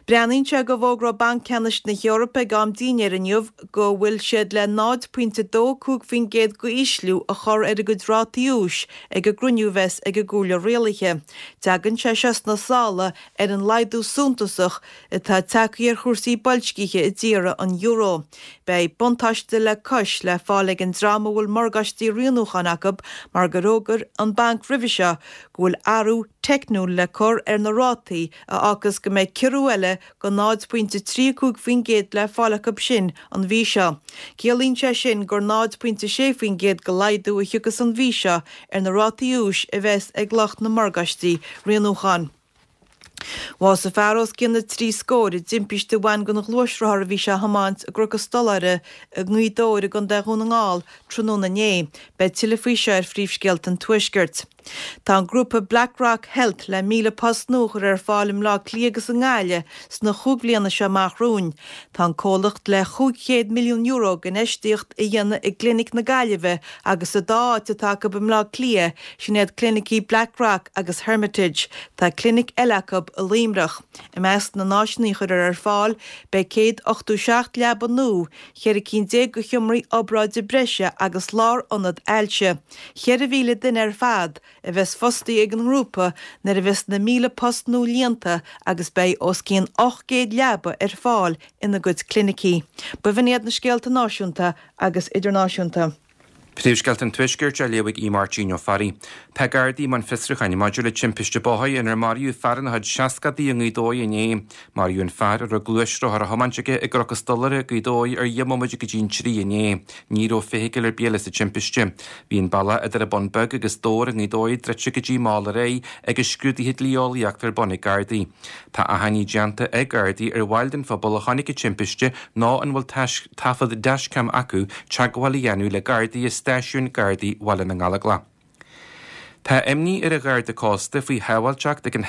Breathnaíonn sé go bhfógróidh Banc Ceannais na hEorpa ag am dinnéir inniu go bhfuil siad le náid pointe dó cúig faoin gcéad d'ísliú a chur ar a gcuid rátaí úis ag an gcruinniú a bheas ag an gComhairle Rialaithe. Tagann sé seo sna sála ar an laghdú suntasach atá tagtha ar chúrsaí boilscithe i dtíortha an euro. Beidh buntáiste le cois le fáil ag an dream a bhfuil morgáistí rianúcháin acu mar gur fhógair an banc roimhe seo go bhfuil athrú teicniúil le cur ar na rátaí a fhágfas go mbeidh ciorrú eile de náid pointe trí cúig faoin gcéad le fáil acu sin an mhí seo. Ciallaíonn sé sin gur náid pointe sé faoin gcéad de laghdú a thiocfas an mhí seo ar na rátaí úis a bheas ag lucht na morgáistí rianúcháin. Bhásaigh fear os cionn na trí scór i dtimpiste a bhain den ghluaisrothar a bhí sé a thiomáint i gCnoc an Stolaire i nGaoth Dobhair i gContae Dhún na nGall tráthnóna inné. Beidh tuilleadh faoi seo ar phríomhscéalta an Tuaiscirt. Tá an grúpa BlackRock Health le míle post nua a chur ar fáil i mBleá Cliath agus i nGaillimh sna chúig bhliana seo amach romhainn. Tá an comhlacht le chúig chéad milliún euro d'infheistíocht a dhéanamh i gClinic na Gaillimhe agus sa dá áit atá acu i mBleá Cliath, sin iad clinicí BlackRock agus Hermitage. Tá clinic eile acu i Luimneach. I measc na n-áiseanna a chuirfear ar fáil beidh céad ochtó seacht leaba nua, cheithre cinn déag de sheomraí obráide breise agus lárionad ailse. Ceithre mhíle duine ar fad a bheas fostaithe ag an ngrúpa nuair a bheas na míle post nua líonta agus beidh os cionn ocht gcéad leaba ar fáil ina gcuid clinicí. B'in iad na scéalta náisiúnta agus idirnáisiúnta. Príomhscéalta an Tuaiscirt á léamh ag Aodh Máirtín Ó Fearraigh. Tá Gardaí i mbun fiosrúcháin maidir le timpiste bóthair inar maraíodh fear ina chuid seascadaí i nGaoth Dobhair inné. Maraíodh an fear a raibh gluaisrothar á thiomáint aige i gCnoc an Stolaire, Gaoth Dobhair ar dheich mbomaite go dtí an trí inné. Ní raibh feithicil ar bith eile sa timpiste. Bhí an bealach idir an Bun Beag agus Dobhar i nGaoth Dobhair druidte go dtí mall aréir agus scrúduithe dlí-eolaíochta ar bun ag Gardaí. Tá achainí déanta ag Gardaí ar bhaill den phobal a chonaic an timpiste nó an bhfuil taifead dashcam acu teagmháil a dhéanamh le Gardaí i Stáisiún Gardaí Bhaile na nGallóglach. Tá imní ar an Gharda Cósta faoi shábháilteacht ag an